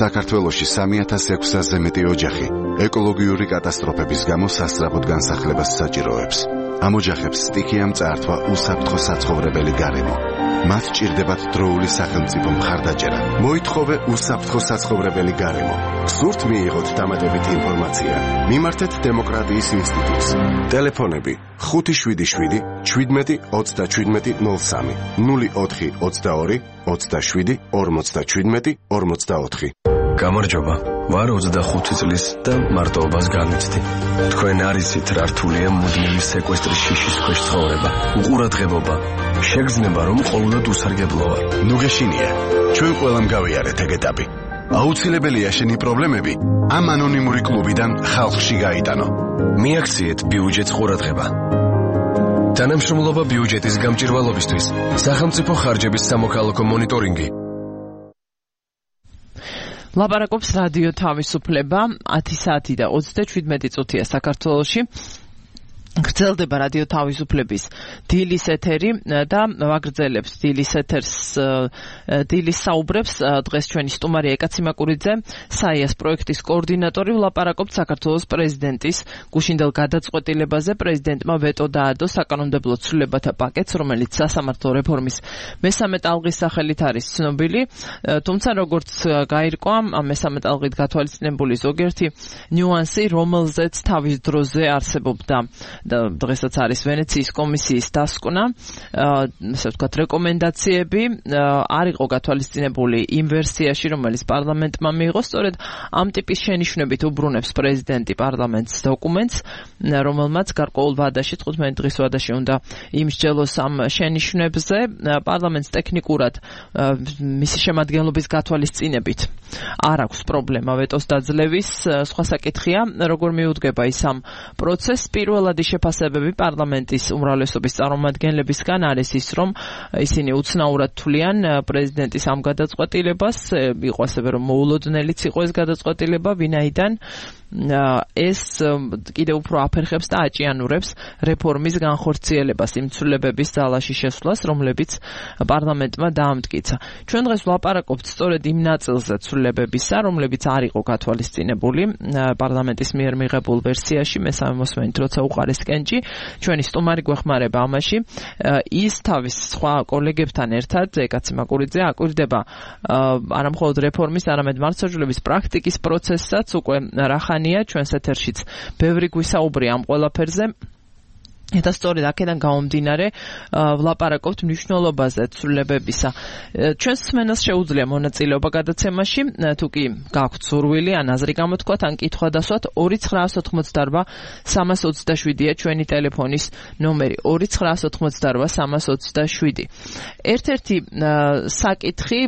Speaker 5: საქართველოში სამი ათას ექვსასზე მეტი ოჯახი ეკოლოგიური კატასტროფების გამო სასწრაფოდ განსახლებას საჭიროებს. ამ ოჯახებს სტიქიამ წაართვა უსაფრთხო საცხოვრებელი გარემო. მათ ჭირდებათ დროული სახელმწიფო მხარდაჭერა. მოითხოვე უსაფრთხო საცხოვრებელი გარემო. გსურთ მიიღოთ დამატებით ინფორმაცია. მიმართეთ დემოკრატიის ინსტიტუტს. ტელეფონები ხუთი შვიდი შვიდი შვიდმეტი ოცდაშვიდმეტი ნულ სამი ნული ოთხი ოცდაორი ოცდაშვიდი ორმოცდაშვიდმეტი ორმოცდაოთხი.
Speaker 6: გამარჯობა. ვარ ოცდახუთი წლის და მარტოობას განვიცდი. თქვენ არ იცით რა რთულია მუდმივი სეკვესტრის შიშის ქვეშ ცხოვრება. უყურადღებობა. შეგრძნება რომ ყოველდღე უსარგებლო ვარ.
Speaker 5: ნუ გეშინია. ჩვენ ყველამ გავიარეთ ეგ ეტაპი. აუცილებელია შენი პრობლემები ამ ანონიმური კლუბიდან ხალხში გაიტანო.
Speaker 6: მიაქციეთ ბიუჯეტს ყურადღება. თანამშრომლობა ბიუჯეტის გამჭირვალობისთვის. სახელმწიფო ხარჯების სამოქალაქო მონიტორინგი.
Speaker 1: ლაპარაკობს რადიო თავისუფლება ათი საათი და ოცდაშვიდმეტი წუთია საქართველოში. გრძელდება რადიო თავისუფლების დილის ეთერი და ვაგრძელებს დილის ეთერს დილის საუბრებს დღეს ჩვენი სტუმარი ეკაცი მაკურიძე საიას პროექტის კოორდინატორი ვლაპარაკობთ საქართველოს პრეზიდენტის გუშინდელ გადაწყვეტილებაზე. პრეზიდენტმა ვეტო დაადო საკანონმდებლო ცვლილებათა პაკეტს, რომელიც სასამართლო რეფორმის მესამე ტალღის სახელით არის ცნობილი. თუმცა როგორც გაირკვა ამ მესამე ტალღით გათვალისწინებული ზოგიერთი ნიუანსი, რომელზეც თავის დროზე არსებობდა და დღესაც არის ვენეციის კომისიის დასკვნა, ასე ვთქვათ, რეკომენდაციები არ იყო გათვალისწინებული იმ ვერსიაში, რომელიც პარლამენტმა მიიღო. სწორედ ამ ტიპის შენიშვნებით უბრუნებს პრეზიდენტი პარლამენტს დოკუმენტს, რომელმაც გარკვეულ ვადაში, თხუთმეტი დღის ვადაში უნდა იმსჯელოს ამ შენიშვნებზე. პარლამენტს ტექნიკურად მისი შემადგენლობის გათვალისწინებით არ აქვს პრობლემა ვეტოს დაძლევის. სხვა საკითხია, როგორ მიუდგება ის ამ პროცესს. პირველადი შეფასებები პარლამენტის უმრავლესობის წარმომადგენლებისგან არის ის, რომ ისინი უცნაურად თვლიან პრეზიდენტის ამ გადაწყვეტილებას, იყო ასევე რომ მოულოდნელიც იყო ეს გადაწყვეტილება, ვინაიდან ეს კიდევ უფრო აფერხებს და აჭიანურებს რეფორმის განხორციელებას, იმ ცვლილებების ძალაში შესვლას, რომლებიც პარლამენტმა დაამტკიცა. ჩვენ დღეს ვლაპარაკობთ სწორედ იმ ნაწილზე ცვლილებებისა, რომლებიც არ იყო გათვალისწინებული პარლამენტის მიერ მიღებულ ვერსიაში. მესამე მოსმენით როცა უყარეს კენჭი, ჩვენი სტუმარი გვეხმარება ამაში. ის თავის სხვა კოლეგებთან ერთად, ეკაცი მაკურიძე, აკვირდება არა მხოლოდ რეფორმის, არამედ მართლმსაჯულების პრაქტიკის პროცესსაც, უკვე რახანია ჩვენს ეთერშიც ბევრი გვისაუბრია ამ ყველაფერზე. და სწორედ აქედან გამომდინარე ვლაპარაკობთ მნიშვნელობაზე ცვლილებებისა. ჩვენს მსმენელს შეუძლია მონაწილეობა გადაცემაში, თუ კი გაქვთ სურვილი, ან აზრი გამოთქვათ, ან კითხვა დასვათ, ორი ცხრაას ოცდაოთხმოცდაარბა სამას ოცდაშვიდია ჩვენი ტელეფონის ნომერი. ორი ცხრაას ოცდაოთხმოცდაარბა სამას ოცდაშვიდი. ერთ-ერთი საკითხი,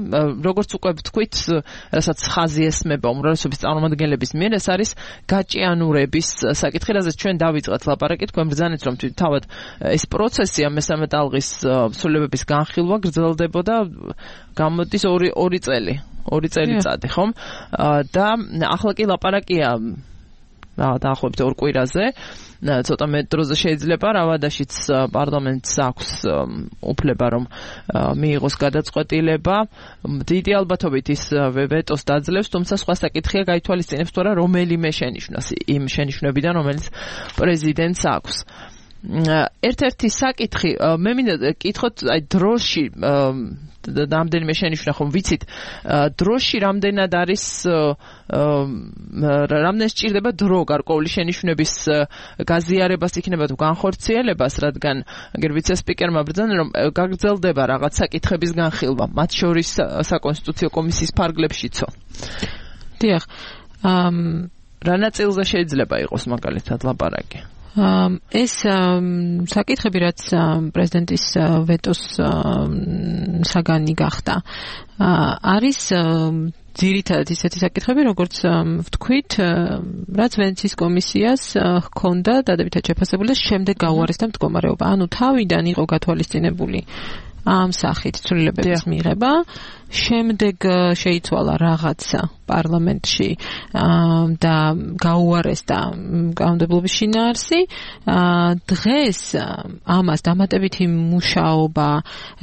Speaker 1: როგორც უკვე ვთქვით, რასაც ხაზი ესმება უმრავლესობის წარმომადგენლების მიერ, ეს არის გაჭიანურების საკითხი, რაზეც ჩვენ დავიწყეთ ლაპარაკი, თქვენ ბრძანეთ, რომ თავად ეს პროცესი ამ მესამე ტალღის ცვლილებების განხილვა გრძელდებოდა გამოდის ორი ორი წელი, ორი წელიწადი, ხომ? და ახლა კი ლაპარაკია დაახლოებით ორ კვირაზე, ცოტა მეტ დროზე შეიძლება რავადაშიც პარლამენტს აქვს უფლება რომ მიიღოს გადაწყვეტილება. დიდი ალბათობით ის ვეტოს დაძლევს, თუმცა სხვა საკითხია გაითვალისწინებს თუ არა რომელიმე შენიშვნას იმ შენიშვნებიდან, რომელიც პრეზიდენტს აქვს. ერთ-ერთი საკითხი, მე მინდა კითხოთ, აი დროში რამდენიმე შენიშვნა ხომ ვიცით, დროში რამდენად არის რამდენ სჭირდება დრო გარკვეული შენიშვნების გაზიარებას იქნება თუ განხორციელებას, რადგან აგერ ვიცე-სპიკერმა ბრძანა რომ გაგრძელდება რაღაც საკითხების განხილვა, მათ შორის საკონსტიტუციო კომისიის ფარგლებშიცო.
Speaker 2: დიახ,
Speaker 1: რა ნაწილზე შეიძლება იყოს მაგალითად ლაპარაკი?
Speaker 2: ეს საკითხები, რაც პრეზიდენტის ვეტოს საგანი გახდა, არის ძირითადად ისეთი საკითხები, როგორც ვთქვით, რაც ვენეციის კომისიას ჰქონდა დადებითად შეფასებული და შემდეგ გაუარესდა მდგომარეობა. ანუ თავიდან იყო გათვალისწინებული ამ სახით ცვლილებების მიღება, შემდეგ შეიცვალა რაღაცა პარლამენტში და გაუარესდა კანონმდებლობის შინაარსი. დღეს ამას დამატებითი მუშაობა,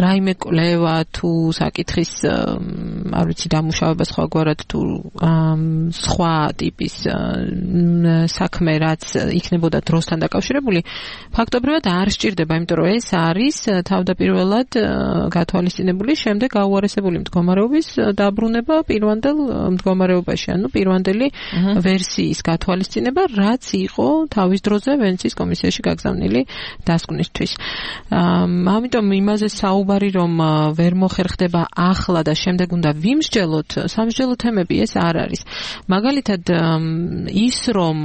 Speaker 2: რაიმე კვლევა თუ საკითხის არ ვიცი დამუშავება სხვაგვარად თუ სხვა ტიპის საქმე რაც იქნებოდა დროსთან დაკავშირებული, ფაქტობრივად არ სჭირდება, იმიტომ რომ ეს არის თავდაპირველად გათვალისწინებული შემდეგ გაუარესებული მდგომარეობის დაბრუნება პირვანდელ მდგომარეობაში, ანუ პირვანდელი ვერსიის გათვალისწინება, რაც იყო თავის დროზე ვენეციის კომისიაში გაგზავნილი დასკვნისთვის. ამიტომ იმაზე საუბარი რომ ვერ მოხერხდება ახლა და შემდეგ უნდა ვიმსჯელოთ, სამსჯელო თემები ეს არ არის. მაგალითად ის რომ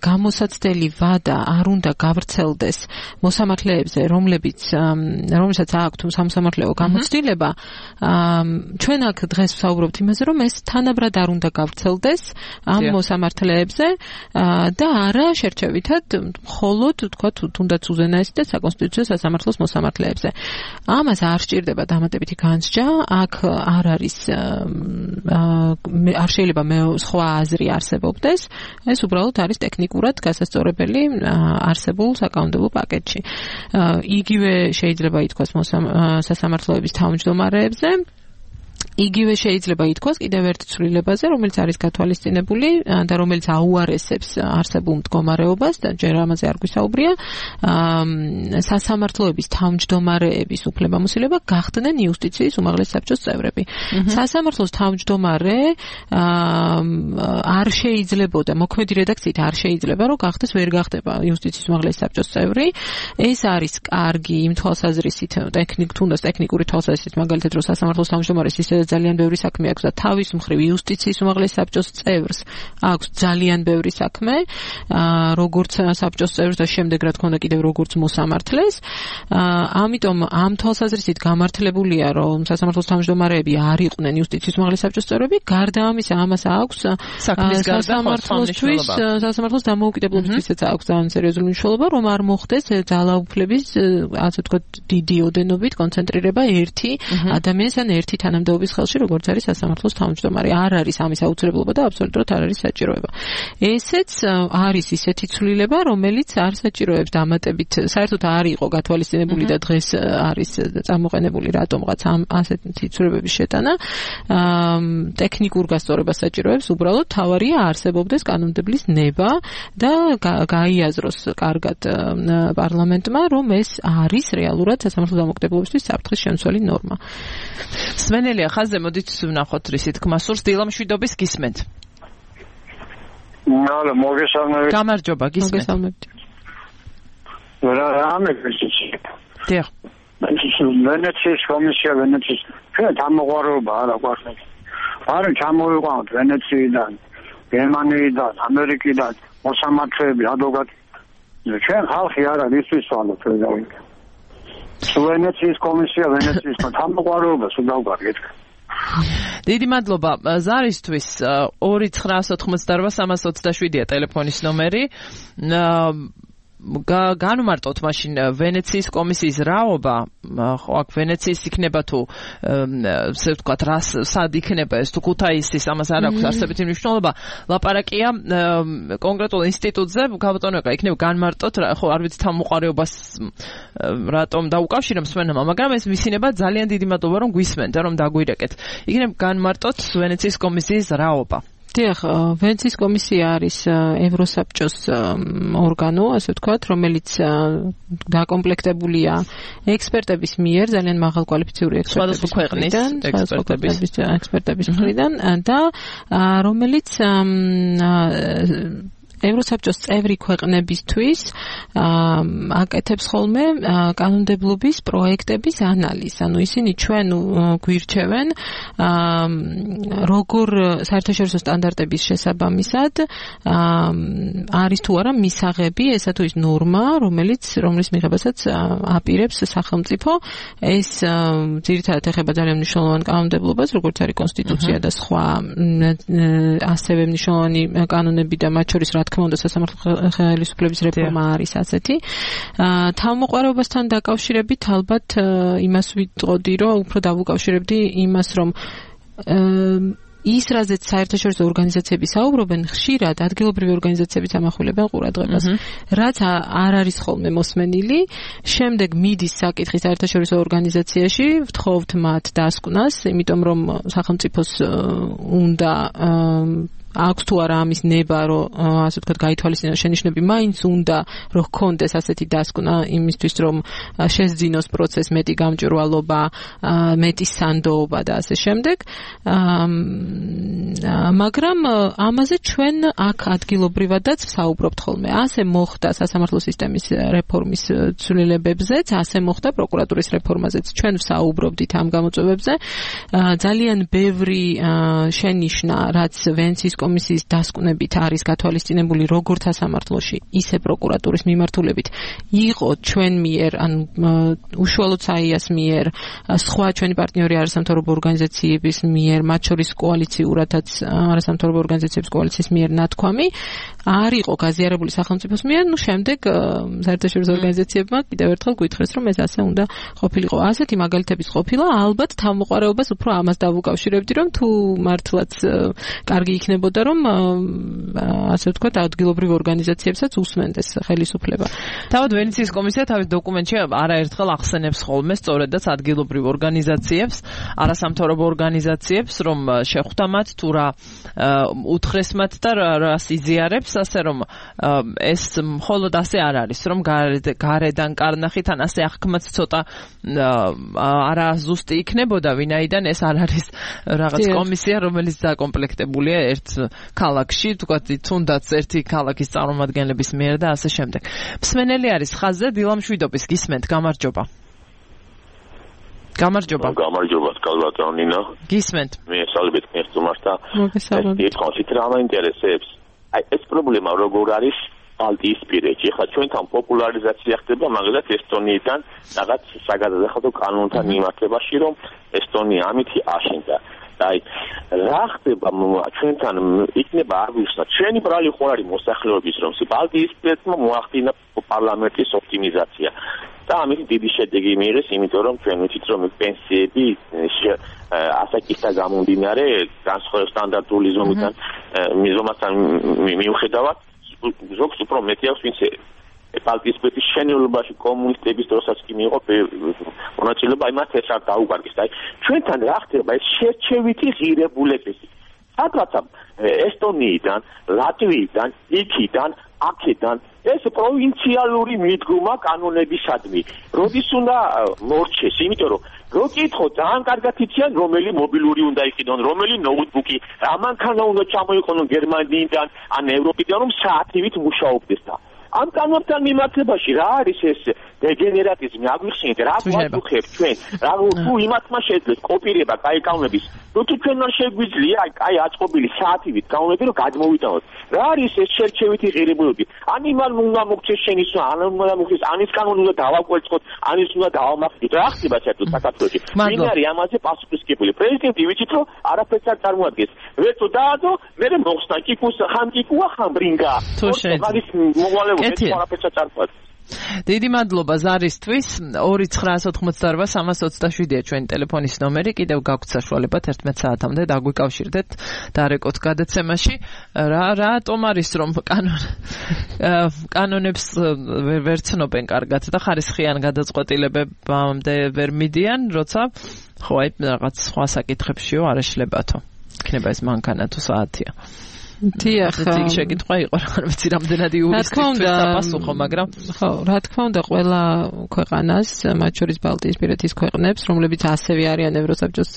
Speaker 2: გამოსაცდელი ვადა არ უნდა გავრცელდეს მოსამართლეებზე, რომლებიც რომელსაც აქვთ სამსამართლეო გამოცდილება, ჩვენ აქ დღეს ვსაუბრობთ იმაზე, რომ ეს თანაბრად არ უნდა გავრცელდეს ამ მოსამართლეებზე და არა შერჩევითად მხოლოდ თქვათ თუნდაც უზენაესი და საკონსტიტუციო სასამართლოს მოსამართლეებზე. ამას არ სჭირდება დამატებითი განსჯა, აქ არ არის არ შეიძლება მე სხვა აზრი არსებობდეს, ეს უბრალოდ არის ტექნიკურად გასასწორებელი არსებულ საკანონმდებლო პაკეტში. იგივე შეიძლება ითქვას სასამართლოების თავმჯდომარეებზე, იგივე შეიძლება ითქვას კიდევ ერთ ცვლილებაზე, რომელიც არის გათვალისწინებული და რომელიც აუარესებს არსებულ მდგომარეობას და ჯერ ამაზე არ გვისაუბრია, სასამართლოების თავმჯდომარეების უფლებამოსილება გახდნენ იუსტიციის უმაღლესი საბჭოს წევრები. სასამართლოს თავმჯდომარე არ შეიძლებოდა, მოქმედი რედაქციით არ შეიძლება, რომ გახდეს ვერ გახდება იუსტიციის უმაღლესი საბჭოს წევრი. ეს არის კარგი იმ თვალსაზრისით, ტექნიკ თუნდაც ტექნიკური თვალსაზრისით, მაგალითად, რომ სასამართლოს თავმჯდომარეს ისე ძალიან ბევრი საქმე აქვს და თავის მხრივ იუსტიციის უმაღლესი საბჭოს წევრს აქვს ძალიან ბევრი საქმე, როგორც საბჭოს წევრს და შემდეგ რა თქმა უნდა კიდევ როგორც მოსამართლეს. ამიტომ ამ თვალსაზრისით გამართლებულია, რომ სასამართლოს თავმჯდომარეები არ იყვნენ იუსტიციის უმაღლესი საბჭოს წევრები, გარდა ამისა ამას აქვს სასამართლოსთვის, სასამართლოს დამოუკიდებლობისთვისაც აქვს ძალიან სერიოზული მნიშვნელობა, რომ არ მოხდეს ძალაუფლების, ასე ვთქვათ, დიდი ოდენობით კონცენტრირება ერთი ადამიანის ან ერთი თანამდებობის ხელში, როგორც არის სასამართლოს თავმჯდომარე. არ არის ამის აუცილებლობა და აბსოლუტურად არ არის საჭიროება. ესეც არის ისეთი ცვლილება, რომელიც არ საჭიროებს დამატებით, საერთოდ არ იყო გათვალისწინებული და დღეს არის წამოყენებული რატომღაც ამ ასეთი ცვლილებების შეტანა. ტექნიკურ გასწორებას საჭიროებს, უბრალოდ თავარია არსებობდეს კანონმდებლის ნება და გაიაზროს კარგად პარლამენტმა, რომ ეს არის რეალურად სასამართლოს დამოუკიდებლობისთვის საფრთხის შემცველი ნორმა.
Speaker 1: სვენელია ხაზზე, მოდით ვნახოთ რისი თქმა სურს. დილა მშვიდობის გისმენთ.
Speaker 7: ალო, მოგესალმებით.
Speaker 1: გამარჯობა, გისმენთ.
Speaker 2: მოგესალმებით.
Speaker 7: რა ამეკრიციც.
Speaker 1: დიახ.
Speaker 7: ვენეციის კომისია, ვენეციის ჩვენ დამოყვარება არა გვაქვს. არ ჩამოვიყვანოთ ვენეციიდან, გერმანიიდან, ამერიკიდან, მოსამართლეები, ადვოკატი. ჩვენ ხალხი არა ისთვის ვალოთ ვეძავით. ვენეციის კომისია, ვენეციის დამოყვარება სულავგარეთ.
Speaker 1: დიდი მადლობა ზარისთვის. ორი ცხრაას ოთხმოცდაორ სამას ოცდაშვიდია ტელეფონის ნომერი. განვმარტოთ მაშინ ვენეციის კომისიის რაობა, ხო აქ ვენეციის იქნება თუ ესე ვთქვათ რა სად იქნება ეს თუ ქუთაისის, ამას არ აქვს არსებითი მნიშვნელობა. ლაპარაკია კონკრეტულ ინსტიტუტზე, გაბატონებია იქნება განვმარტოთ, ხო არ ვიცი თავმოყარეობას რატომ დაუკავშირებს სვენმა, მაგრამ ეს ვისინება ძალიან დიდი მადლობა რომ გვისმენთ, რომ დაგვირეკეთ. იქნება განვმარტოთ ვენეციის კომისიის რაობა.
Speaker 2: დიახ, ვენეციის კომისია არის ევროსაბჭოს ორგანო, ასე ვთქვათ, რომელიც დაკომპლექტებულია ექსპერტების მიერ, ძალიან მაღალკვალიფიციური ექსპერტების მხრიდან, ექსპერტების ექსპერტების მხრიდან და რომელიც ევროსაბჭოს წევრი ქვეყნებისთვის აკეთებს ხოლმე კანონმდებლობის პროექტების ანალიზს. ანუ ისინი ჩვენ გვირჩევენ როგორ საერთაშორისო სტანდარტების შესაბამისად არის თუ არა მისაღები ესა თუ ის ნორმა, რომელიც რომლის მიღებასაც აპირებს სახელმწიფო. ეს ძირითადად ეხება ძალიან მნიშვნელოვან კანონმდებლობას, როგორც არის კონსტიტუცია და სხვა ასევე მნიშვნელოვანი კანონები და მათ შორის რა თქმა უნდა სასამართლო ხელისუფლების რეფორმა არის ასეთი. თავმოყვარეობასთან დაკავშირებით ალბათ იმას ვიტყოდი, რომ უფრო დავუკავშირებდი იმას, რომ ის რაზეც საერთაშორისო ორგანიზაციები საუბრობენ, ხშირად ადგილობრივი ორგანიზაციებიც ამახვილებენ ყურადღებას. რაც არ არის ხოლმე მოსმენილი, შემდეგ მიდის საკითხი საერთაშორისო ორგანიზაციაში, ვთხოვთ მათ დასკვნას, იმიტომ რომ სახელმწიფოს უნდა აქვს თუ არა ამის ნება, რომ ასე ვთქვათ, გაითვალისწინოს შენიშვნები, მაინც უნდა რომ ჰქონდეს ასეთი დასკვნა იმისთვის, რომ შესძინოს პროცესს მეტი გამჭვირვალობა, მეტი სანდოობა და ასე შემდეგ. მაგრამ ამაზე ჩვენ აქ ადგილობრივადაც ვსაუბრობთ ხოლმე. ასე მოხდა სასამართლო სისტემის რეფორმის ცვლილებებზეც, ასე მოხდა პროკურატურის რეფორმაზეც. ჩვენ ვსაუბრობდით ამ გამოწვევებზე. ძალიან ბევრი შენიშვნა, რაც ვენეციის კომისიის დასკვნებით არის გათვალისწინებული როგორც სასამართლოში, ისე პროკურატურის მიმართულებით, იყო ჩვენ მიერ, ან უშუალოდ საიას მიერ, სხვა ჩვენი პარტნიორი არასამთავრობო ორგანიზაციების მიერ, მათ შორის კოალიციურადაც არასამთავრობო ორგანიზაციების კოალიციის მიერ ნათქვამი, არ იყო გაზიარებული სახელმწიფოს მიერ, ნუ შემდეგ საერთაშორისო ორგანიზაციებმა კიდევ ერთხელ გვითხრეს, რომ ეს ასე უნდა ყოფილიყო. ასეთი მაგალითების ყოფილა, ალბათ თავმოყარებას უფრო ამას დავუკავშირებდი, რომ თუ მართლაც კარგი იქნებოდა, რომ ასე ვთქვათ, ადგილობრივ ორგანიზაციებსაც უსმენდეს ხელისუფლება.
Speaker 1: თავად ვენეციის კომისია თავის დოკუმენტში არაერთხელ ახსენებს ხოლმე სწორედაც ადგილობრივ ორგანიზაციებს, არასამთავრობო ორგანიზაციებს, რომ შეხვდა მათ თუ რა უთხრეს მათ და რას იზიარებს, ასე რომ ეს მხოლოდ ასე არ არის, რომ გარედან კარნახით ან ასე აღქმაც ცოტა არა ზუსტი იქნებოდა, ვინაიდან ეს არ არის რაღაც კომისია, რომელიც დაკომპლექტებულია ერთ ქალაქში, თქვათ, თუნდაც ერთი ქალაქის წარმომადგენლების მიერ და ასე შემდეგ. მსმენელი არის ხაზზე დილა მშვიდობის, გისმენთ, გამარჯობა. გამარჯობა.
Speaker 8: გამარჯობა, კალბატონინა.
Speaker 1: გისმენთ.
Speaker 8: მე სალბეთ მერწმართა.
Speaker 2: მოგესალმებით.
Speaker 8: ეს კონცით რა მაინტერესებს? აი ეს პრობლემა როგორ არის ბალტიისპირეთში? ხა ჩვენთან პოპულარიზაცია ხდება მაგალითად ესტონიიდან რაღაც საგადასახადო კანონთან მიმართებაში, რომ ესტონია ამითი აშენდა. აი რა ხდება ჩვენთან იქნება აგვიხსნა ჩვენი ბრალი ხო არის მოსახლეობის რომ ბალტიისპირეთმა მოახდინა პარლამენტის ოპტიმიზაცია და ამით დიდი შედეგი მიიღეს, იმიტომ რომ ჩვენ ვიცით რომ პენსიები ასაკისთან გამომდინარე განსხვავებული სტანდარტული ზომიდან მიზომასთან მიუხედავად ზოგს უფრო მეტი აქვს, ვინც ბალტიისპირეთის შენელობაში კომუნისტების დროსაც კი მიიღო მონაწილეობა, იმათ ეს არ დაუკარგეს. აი ჩვენთან რა ხდება ეს შერჩევითი ღირებულებები. სადღაცა ესტონიიდან, ლატვიიდან, იქიდან, აქედან ეს პროვინციალური მიდგომა კანონებისადმი. როდის უნდა მორჩეს, იმიტომ რომ რო კითხო ძალიან კარგად იციან რომელი მობილური უნდა იყიდონ, რომელი ნოუთბუქი, რა მანქანა უნდა ჩამოიყენონ გერმანიიდან ან ევროპიდან, რომ საათივით მუშაობდეს და ამ კანონთან მიმართებაში რა არის ეს დეგენერატიზმი, აგვიხსენეთ რა გვაქვს ჩვენ, რა თუ იმათმა შეძლეს კოპირება კაი კანონების, ნუ თუ ჩვენ არ შეგვიძლია აი აწყობილი საათივით კანონები რომ გადმოვიტანოთ. რა არის ეს შერჩევითი ღირებულებები? ან იმან უნდა მოგცეს შენიშვნა, ან უნდა მოგცეს ანის კანონი უნდა დავაკვერცხოთ, ანის უნდა დავამახვილოთ. რა ხდება საერთოდ საქართველოში? ვინ არის ამაზე პასუხისმგებელი? პრეზიდენტი ვიცით რომ არაფერს არ წარმოადგენს. ვერცო დაადო, მე მოხსნა კიკუს ხან კიკუა ხან ბრინგა.
Speaker 1: თუ შეიძლება დიდი მადლობა ზარისთვის. ორი ცხრაას ოთხმოცდაორვა სამას ოცდაშვიდია ჩვენი ტელეფონის ნომერი. კიდევ გაგვთ საშუალება თერთმეტ საათამდე დაგვიკავშირდეთ დარეკოთ გადაცემაში. რა რატომ არის რომ კანონ კანონებს ვერ ცნობენ კარგად და ხარისხიან გადაწყვეტილებებამდე ვერ მიდიან, როცა ხო აი რაღაც სხვა საკითხებშიო არ ეშლებათო. იქნება ეს მანქანა თუ საათია.
Speaker 2: დიახ,
Speaker 1: შეკითხვა იყო, რა ვიცი, რამდენად იურისტისთვის დაპასუხო, მაგრამ
Speaker 2: ხო, რა თქმა უნდა, ყველა ქვეყანას, მათ შორის ბალტიისპირეთის ქვეყნებს, რომლებიც ასევე არიან ევროსაბჭოს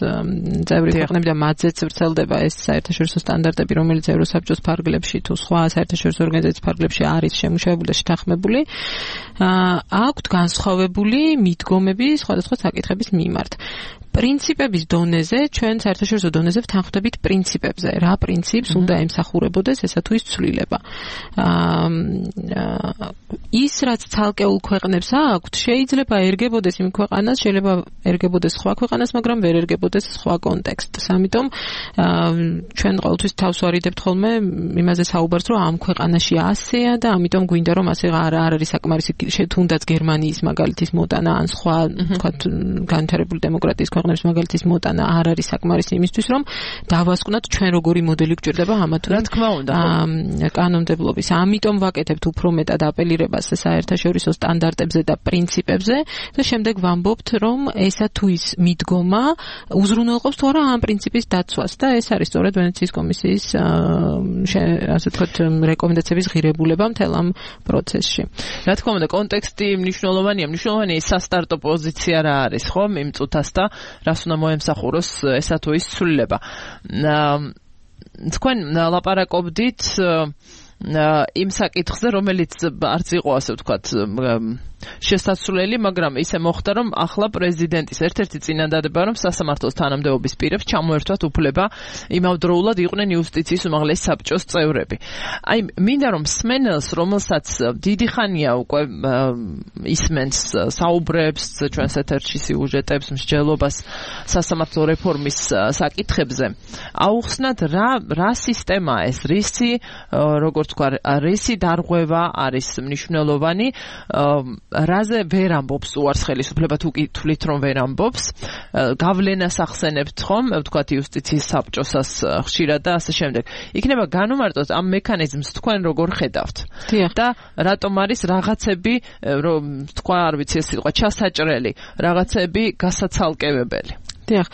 Speaker 2: წევრი ქვეყნები და მათზეც ვრცელდება ეს საერთაშორისო სტანდარტები, რომელიც ევროსაბჭოს ფარგლებში თუ სხვა საერთაშორისო ორგანიზაციის ფარგლებში არის შემუშავებული და შეთანხმებული, აქვთ განსხვავებული მიდგომები სხვადასხვა საკითხების მიმართ. პრინციპების დონეზე, ჩვენ საერთაშორისო დონეზე ვთანხმდებით პრინციპებზე. რა პრინციპს უნდა ემსახურებოდეს ესა თუ ის ცვლილება. ის რაც ცალკეულ ქვეყნებს აქვთ, შეიძლება ერგებოდეს იმ ქვეყანას, შეიძლება ერგებოდეს სხვა ქვეყანას, მაგრამ ვერ ერგებოდეს სხვა კონტექსტს. ამიტომ ჩვენ ყოველთვის თავს ვარიდებთ ხოლმე იმაზე საუბარს, რომ ამ ქვეყანაში ასეა და ამიტომ გვინდა რომ ასე არ არის საკმარისი თუნდაც გერმანიის მაგალითის მოტანა ან სხვა თქვათ განვითარებული დემოკრატიის ქვეყნების ქვეყნების მაგალითის მოტანა არ არის საკმარისი იმისთვის, რომ დავასკვნათ ჩვენ როგორი მოდელი გვჭირდება ამა თუ
Speaker 1: რა თქმა უნდა
Speaker 2: კანონმდებლობის. ამიტომ ვაკეთებთ უფრო მეტად აპელირებას საერთაშორისო სტანდარტებზე და პრინციპებზე და შემდეგ ვამბობთ, რომ ესა თუ ის მიდგომა უზრუნველყოფს თუ არა ამ პრინციპის დაცვას და ეს არის სწორედ ვენეციის კომისიის ასე ვთქვათ რეკომენდაციების ღირებულება მთელ ამ პროცესში.
Speaker 1: რა თქმა უნდა კონტექსტი მნიშვნელოვანია, მნიშვნელოვანია სასტარტო პოზიცია რა არის, ხო, იმ წუთას და რას უნდა მოემსახუროს ესა თუ ის ცვლილება. თქვენ ლაპარაკობდით იმ საკითხზე, რომელიც არც იყო ასე ვთქვათ შესაძლებელი, მაგრამ ისე მოხდა, რომ ახლა პრეზიდენტის ერთ-ერთი წინადადება, რომ სასამართლოს თანამდებობის პირებს ჩამოერთვათ უფლება იმავდროულად იყვნენ იუსტიციის უმაღლესი საბჭოს წევრები. აი, მინდა რომ სმენელს, რომელსაც დიდი ხანია უკვე ისმენს საუბრებს ჩვენს ეთერში სიუჟეტებს, მსჯელობას სასამართლო რეფორმის საკითხებზე, აუხსნათ რა რა სისტემაა ეს, რისი როგორც თქვა, რისი დარღვევა არის მნიშვნელოვანი, რაზე ვერ ამბობს უარს ხელისუფლება თუ კი თვლით რომ ვერ ამბობს, გავლენას ახსენებთ ხომ, ვთქვათ იუსტიციის საბჭოსას ხშირად და ასე შემდეგ. იქნება განუმარტოთ ამ მექანიზმს თქვენ როგორ ხედავთ? და რატომ არის რაღაცები, რომ თქვა არ ვიცი ეს სიტყვა ჩასაჭრელი, რაღაცები გასაცალკევებელი?
Speaker 2: დიახ,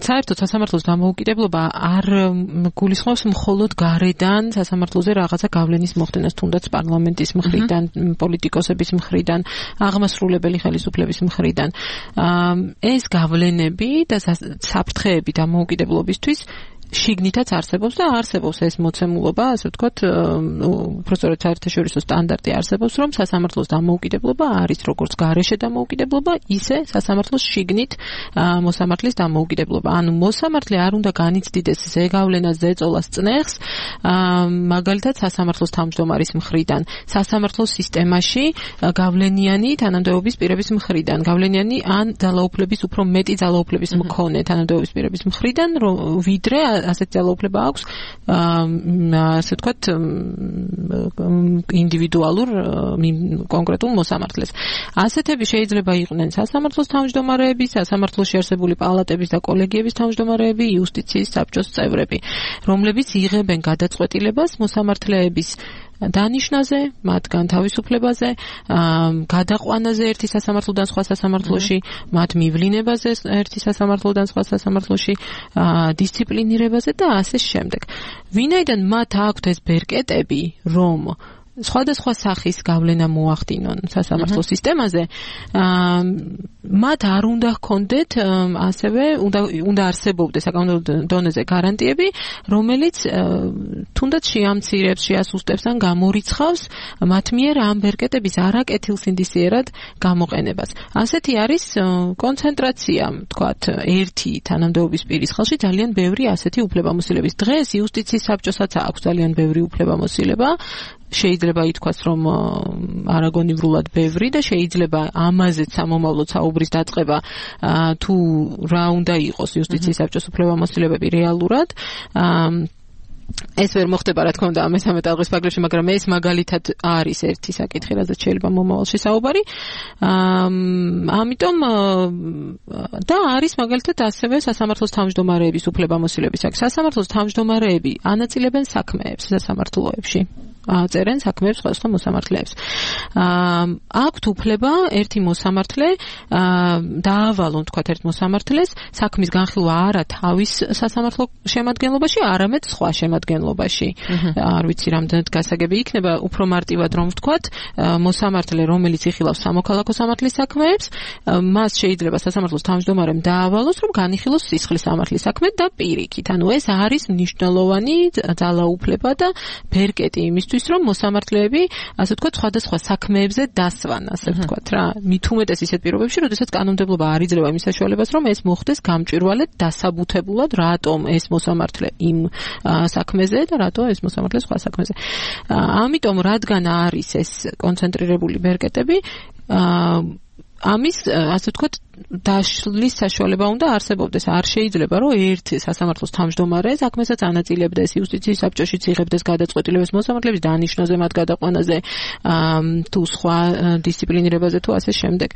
Speaker 2: საერთოდ სასამართლოს დამოუკიდებლობა არ გულისხმობს მხოლოდ გარედან სასამართლოზე რაღაცა გავლენის მოხდენას, თუნდაც პარლამენტის მხრიდან, პოლიტიკოსების მხრიდან, აღმასრულებელი ხელისუფლების მხრიდან. ეს გავლენები და საფრთხეები დამოუკიდებლობისთვის შიგნითაც არსებობს და არსებობს ეს მოცემულობა, ასე ვთქვათ, უბრალოდ საერთაშორისო სტანდარტი არსებობს, რომ სასამართლოს დამოუკიდებლობა არის როგორც გარეშე დამოუკიდებლობა, ისე სასამართლოს შიგნით მოსამართლის დამოუკიდებლობა. ანუ მოსამართლე არ უნდა განიცდიდეს ზეგავლენას, ზეწოლას, წნეხს, მაგალითად სასამართლოს თავმჯდომარის მხრიდან, სასამართლოს სისტემაში გავლენიანი თანამდებობის პირების მხრიდან, გავლენიანი ან ძალაუფლების უფრო მეტი ძალაუფლების მქონე თანამდებობის პირების მხრიდან, ვიდრე ასეთ ძალაუფლება აქვს ასე ვთქვათ ინდივიდუალურ კონკრეტულ მოსამართლეს. ასეთები შეიძლება იყვნენ სასამართლოს თავმჯდომარეები, სასამართლოში არსებული პალატების და კოლეგიების თავმჯდომარეები, იუსტიციის საბჭოს წევრები, რომლებიც იღებენ გადაწყვეტილებას მოსამართლეების დანიშნაზე, მათგან თავისუფლებაზე, გადაყვანაზე ერთი სასამართლოდან სხვა სასამართლოში, მათ მივლინებაზე ერთი სასამართლოდან სხვა სასამართლოში, დისციპლინირებაზე და ასე შემდეგ. ვინაიდან მათ აქვთ ეს ბერკეტები, რომ სხვადასხვა სახის გავლენა მოახდინონ სასამართლო სისტემაზე, მათ არ უნდა ჰქონდეთ ასევე უნდა უნდა არსებობდეს საკანონმდებლო დონეზე გარანტიები, რომელიც თუნდაც შეამცირებს, შეასუსტებს ან გამორიცხავს მათ მიერ ამ ბერკეტების არაკეთილსინდისიერად გამოყენებას. ასეთი არის კონცენტრაცია, თქვათ, ერთი თანამდებობის პირის ხელში ძალიან ბევრი ასეთი უფლებამოსილების. დღეს იუსტიციის საბჭოსაც აქვს ძალიან ბევრი უფლებამოსილება. შეიძლება ითქვას, რომ არაგონივრულად ბევრი და შეიძლება ამაზეც სამომავლოდ საუბრის დაწყება თუ რა უნდა იყოს იუსტიციის საბჭოს უფლებამოსილებები რეალურად. ეს ვერ მოხდება, რა თქმა უნდა, მესამე ტალღის ფარგლებში, მაგრამ ეს მაგალითად არის ერთი საკითხი, რაზეც შეიძლება მომავალში საუბარი. ამიტომ და არის მაგალითად ასევე სასამართლოს თავმჯდომარეების უფლებამოსილების. სასამართლოს თავმჯდომარეები ანაწილებენ საქმეებს სასამართლოებში. წერენ საქმეებს სხვადასხვა მოსამართლეებს. აქვთ უფლება ერთი მოსამართლე დაავალონ, თქვათ, ერთ მოსამართლეს საქმის განხილვა არა თავის სასამართლო შემადგენლობაში, არამედ სხვა შემადგენლობაში. არ ვიცი რამდენად გასაგები იქნება, უფრო მარტივად რომ ვთქვათ, მოსამართლე, რომელიც იხილავს სამოქალაქო სამართლის საქმეებს, მას შეიძლება სასამართლოს თავმჯდომარემ დაავალოს, რომ განიხილოს სისხლის სამართლის საქმე და პირიქით. ანუ ეს არის მნიშვნელოვანი ძალაუფლება და ბერკეტი იმისთვის, რომ მოსამართლეები, ასე ვთქვათ, სხვადასხვა საქმეებზე დასვან, ასე ვთქვათ რა. მით უმეტეს ისეთ პირობებში, როდესაც კანონმდებლობა არ იძლევა იმის საშუალებას, რომ ეს მოხდეს გამჭვირვალედ, დასაბუთებულად, რატომ ეს მოსამართლე იმ საქმეზე და რატო ეს მოსამართლე სხვა საქმეზე. ამიტომ, რადგან არის ეს კონცენტრირებული ბერკეტები, ამის, ასე ვთქვათ, დაშლის საშუალება უნდა არსებობდეს. არ შეიძლება რომ ერთ სასამართლოს თავმჯდომარე საქმესაც ანაწილებდეს, იუსტიციის საბჭოშიც იღებდეს გადაწყვეტილებას მოსამართლეების დანიშნაზე, მათ გადაყვანაზე, თუ სხვა დისციპლინირებაზე თუ ასე შემდეგ.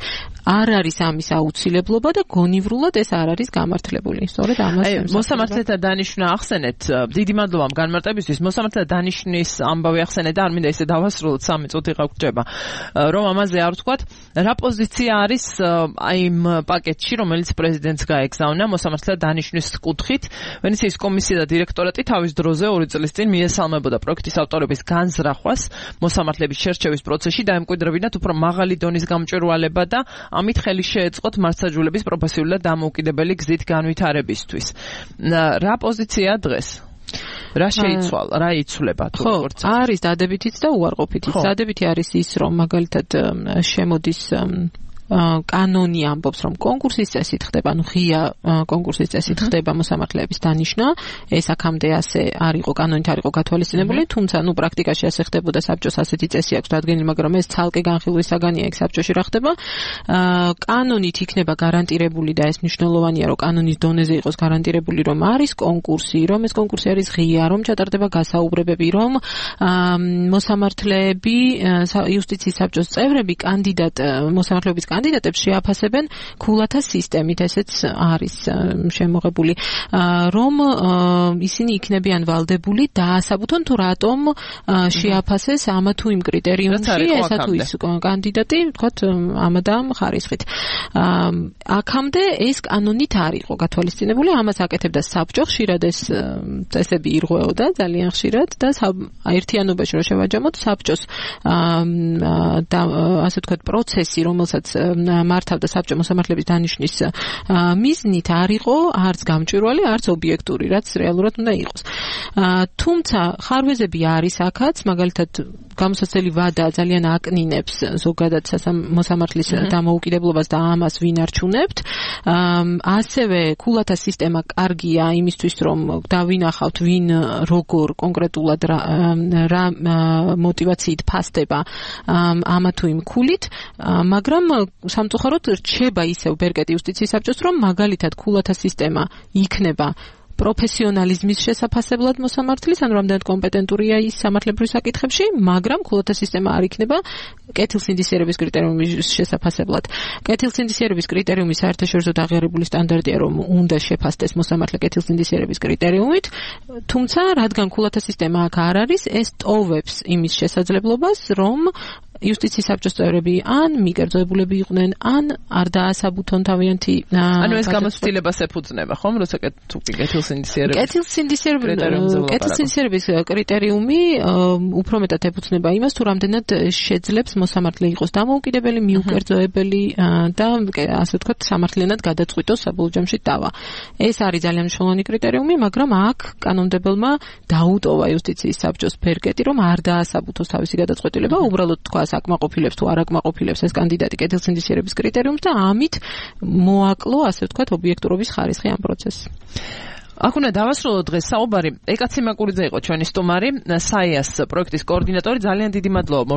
Speaker 2: არ არის ამის აუცილებლობა და გონივრულად ეს არ არის გამართლებული. სწორედ ამას
Speaker 1: მოსამართლეთა დანიშვნა ახსენეთ. დიდი მადლობა განმარტებისთვის. მოსამართლეთა დანიშნის ამბავი ახსენეთ და არ მინდა ისე დავასრულოთ, სამი წუთი გაგვჭება. რომ ამაზე არ ვთქვათ, რა პოზიცია არის აი იმ პაკეტში, რომელიც პრეზიდენტს გაეგზავნა მოსამართლეთა დანიშვნის კუთხით. ვენეციის კომისია და დირექტორატი თავის დროზე ორი წლის წინ მიესალმებოდა პროექტის ავტორების განზრახვას მოსამართლეების შერჩევის პროცესში, დაემკვიდრებინათ უფრო მაღალი დონის გამჭვირვალება და ამით ხელი შეეწყოთ მართლმსაჯულების პროფესიული და დამოუკიდებელი გზით განვითარებისთვის. რა პოზიცია დღეს? რა შეიცვალა, რა იცვლება თუ როგორც
Speaker 2: არის დადებითიც და უარყოფითიც. დადებითი არის ის, რომ მაგალითად შემოდის კანონი ამბობს, რომ კონკურსის წესით ხდება, ანუ ღია კონკურსის წესით ხდება მოსამართლეების დანიშნა. ეს აქამდე ასე არ იყო, კანონით არ იყო გათვალისწინებული, თუმცა ნუ პრაქტიკაში ასე ხდებოდა, საბჭოს ასეთი წესი აქვს დადგენილი, მაგრამ ეს ცალკე განხილვის საგანია იქ საბჭოში რა ხდება. კანონით იქნება გარანტირებული და ეს მნიშვნელოვანია, რომ კანონის დონეზე იყოს გარანტირებული, რომ არის კონკურსი, რომ ეს კონკურსი არის ღია, რომ ჩატარდება გასაუბრებები, რომ მოსამართლეები, იუსტიციის საბჭოს წევრები, კანდიდატ მოსამართლეების კანდიდატებს შეაფასებენ ქულათა სისტემით, ესეც არის შემოღებული, რომ ისინი იქნებიან ვალდებული დაასაბუთონ თუ რატომ შეაფასეს ამა თუ იმ კრიტერიუმში ესა თუ ის კანდიდატი, ვთქვათ, ამა და ამ ხარისხით. აქამდე ეს კანონით არ იყო გათვალისწინებული, ამას აკეთებდა საბჭო, ხშირად ეს წესები ირღვეოდა ძალიან ხშირად და ერთიანობაში რომ შევაჯამოთ საბჭოს და ასე ვთქვათ პროცესი, რომელსაც მართავდა საბჭო მოსამართლეების დანიშნის მიზნით არ იყო არც გამჭვირვალე, არც ობიექტური, რაც რეალურად უნდა იყოს. თუმცა ხარვეზები არის აქაც, მაგალითად გამოსაცდელი ვადა ძალიან აკნინებს ზოგადად მოსამართლის დამოუკიდებლობას და ამას ვინ არჩუნებთ. ასევე ქულათა სისტემა კარგია იმისთვის, რომ დავინახავთ ვინ როგორ კონკრეტულად რა მოტივაციით ფასდება ამა თუ იმ ქულით, მაგრამ სამწუხაროდ რჩება ისევ ბერკეტი იუსტიციის საბჭოს, რომ მაგალითად ქულათა სისტემა იქნება პროფესიონალიზმის შესაფასებლად მოსამართლის, ანუ რამდენად კომპეტენტურია ის სამართლებრივ საკითხებში, მაგრამ ქულათა სისტემა არ იქნება კეთილსინდისიერების კრიტერიუმის შესაფასებლად. კეთილსინდისიერების კრიტერიუმი საერთაშორისო აღიარებული სტანდარტია, რომ უნდა შეფასდეს მოსამართლე კეთილსინდისიერების კრიტერიუმით, თუმცა რადგან ქულათა სისტემა აქ არ არის, ეს ტოვებს იმის შესაძლებლობას, რომ იუსტიციის საბჭოს წევრები ან მიკერძოებულები იყვნენ, ან არ დაასაბუთონ თავიანთი.
Speaker 1: ანუ ეს გამოცდილებას ეფუძნება, ხომ, როცა თუ კეთილსინდისიერების
Speaker 2: კეთილსინდისიერების კრიტერიუმი უფრო მეტად ეფუძნება იმას, თუ რამდენად შეძლებს მოსამართლე იყოს დამოუკიდებელი, მიუკერძოებელი და ასე ვთქვათ, სამართლიანად გადაწყვიტოს საბოლოო ჯამში დავა. ეს არის ძალიან მნიშვნელოვანი კრიტერიუმი, მაგრამ აქ კანონმდებელმა დაუტოვა იუსტიციის საბჭოს ბერკეტი, რომ არ დაასაბუთოს თავისი გადაწყვეტილება, უბრალოდ თქვა აკმაყოფილებს თუ არ აკმაყოფილებს ეს კანდიდატი კეთილსინდისიერების კრიტერიუმს და ამით მოაკლო, ასე ვთქვათ, ობიექტურობის ხარისხი ამ პროცესს.
Speaker 1: აქ უნდა დავასრულოთ დღეს საუბარი. ეკა ციმაკურიძე იყო ჩვენი სტუმარი, საიას პროექტის კოორდინატორი. ძალიან დიდი მადლობა.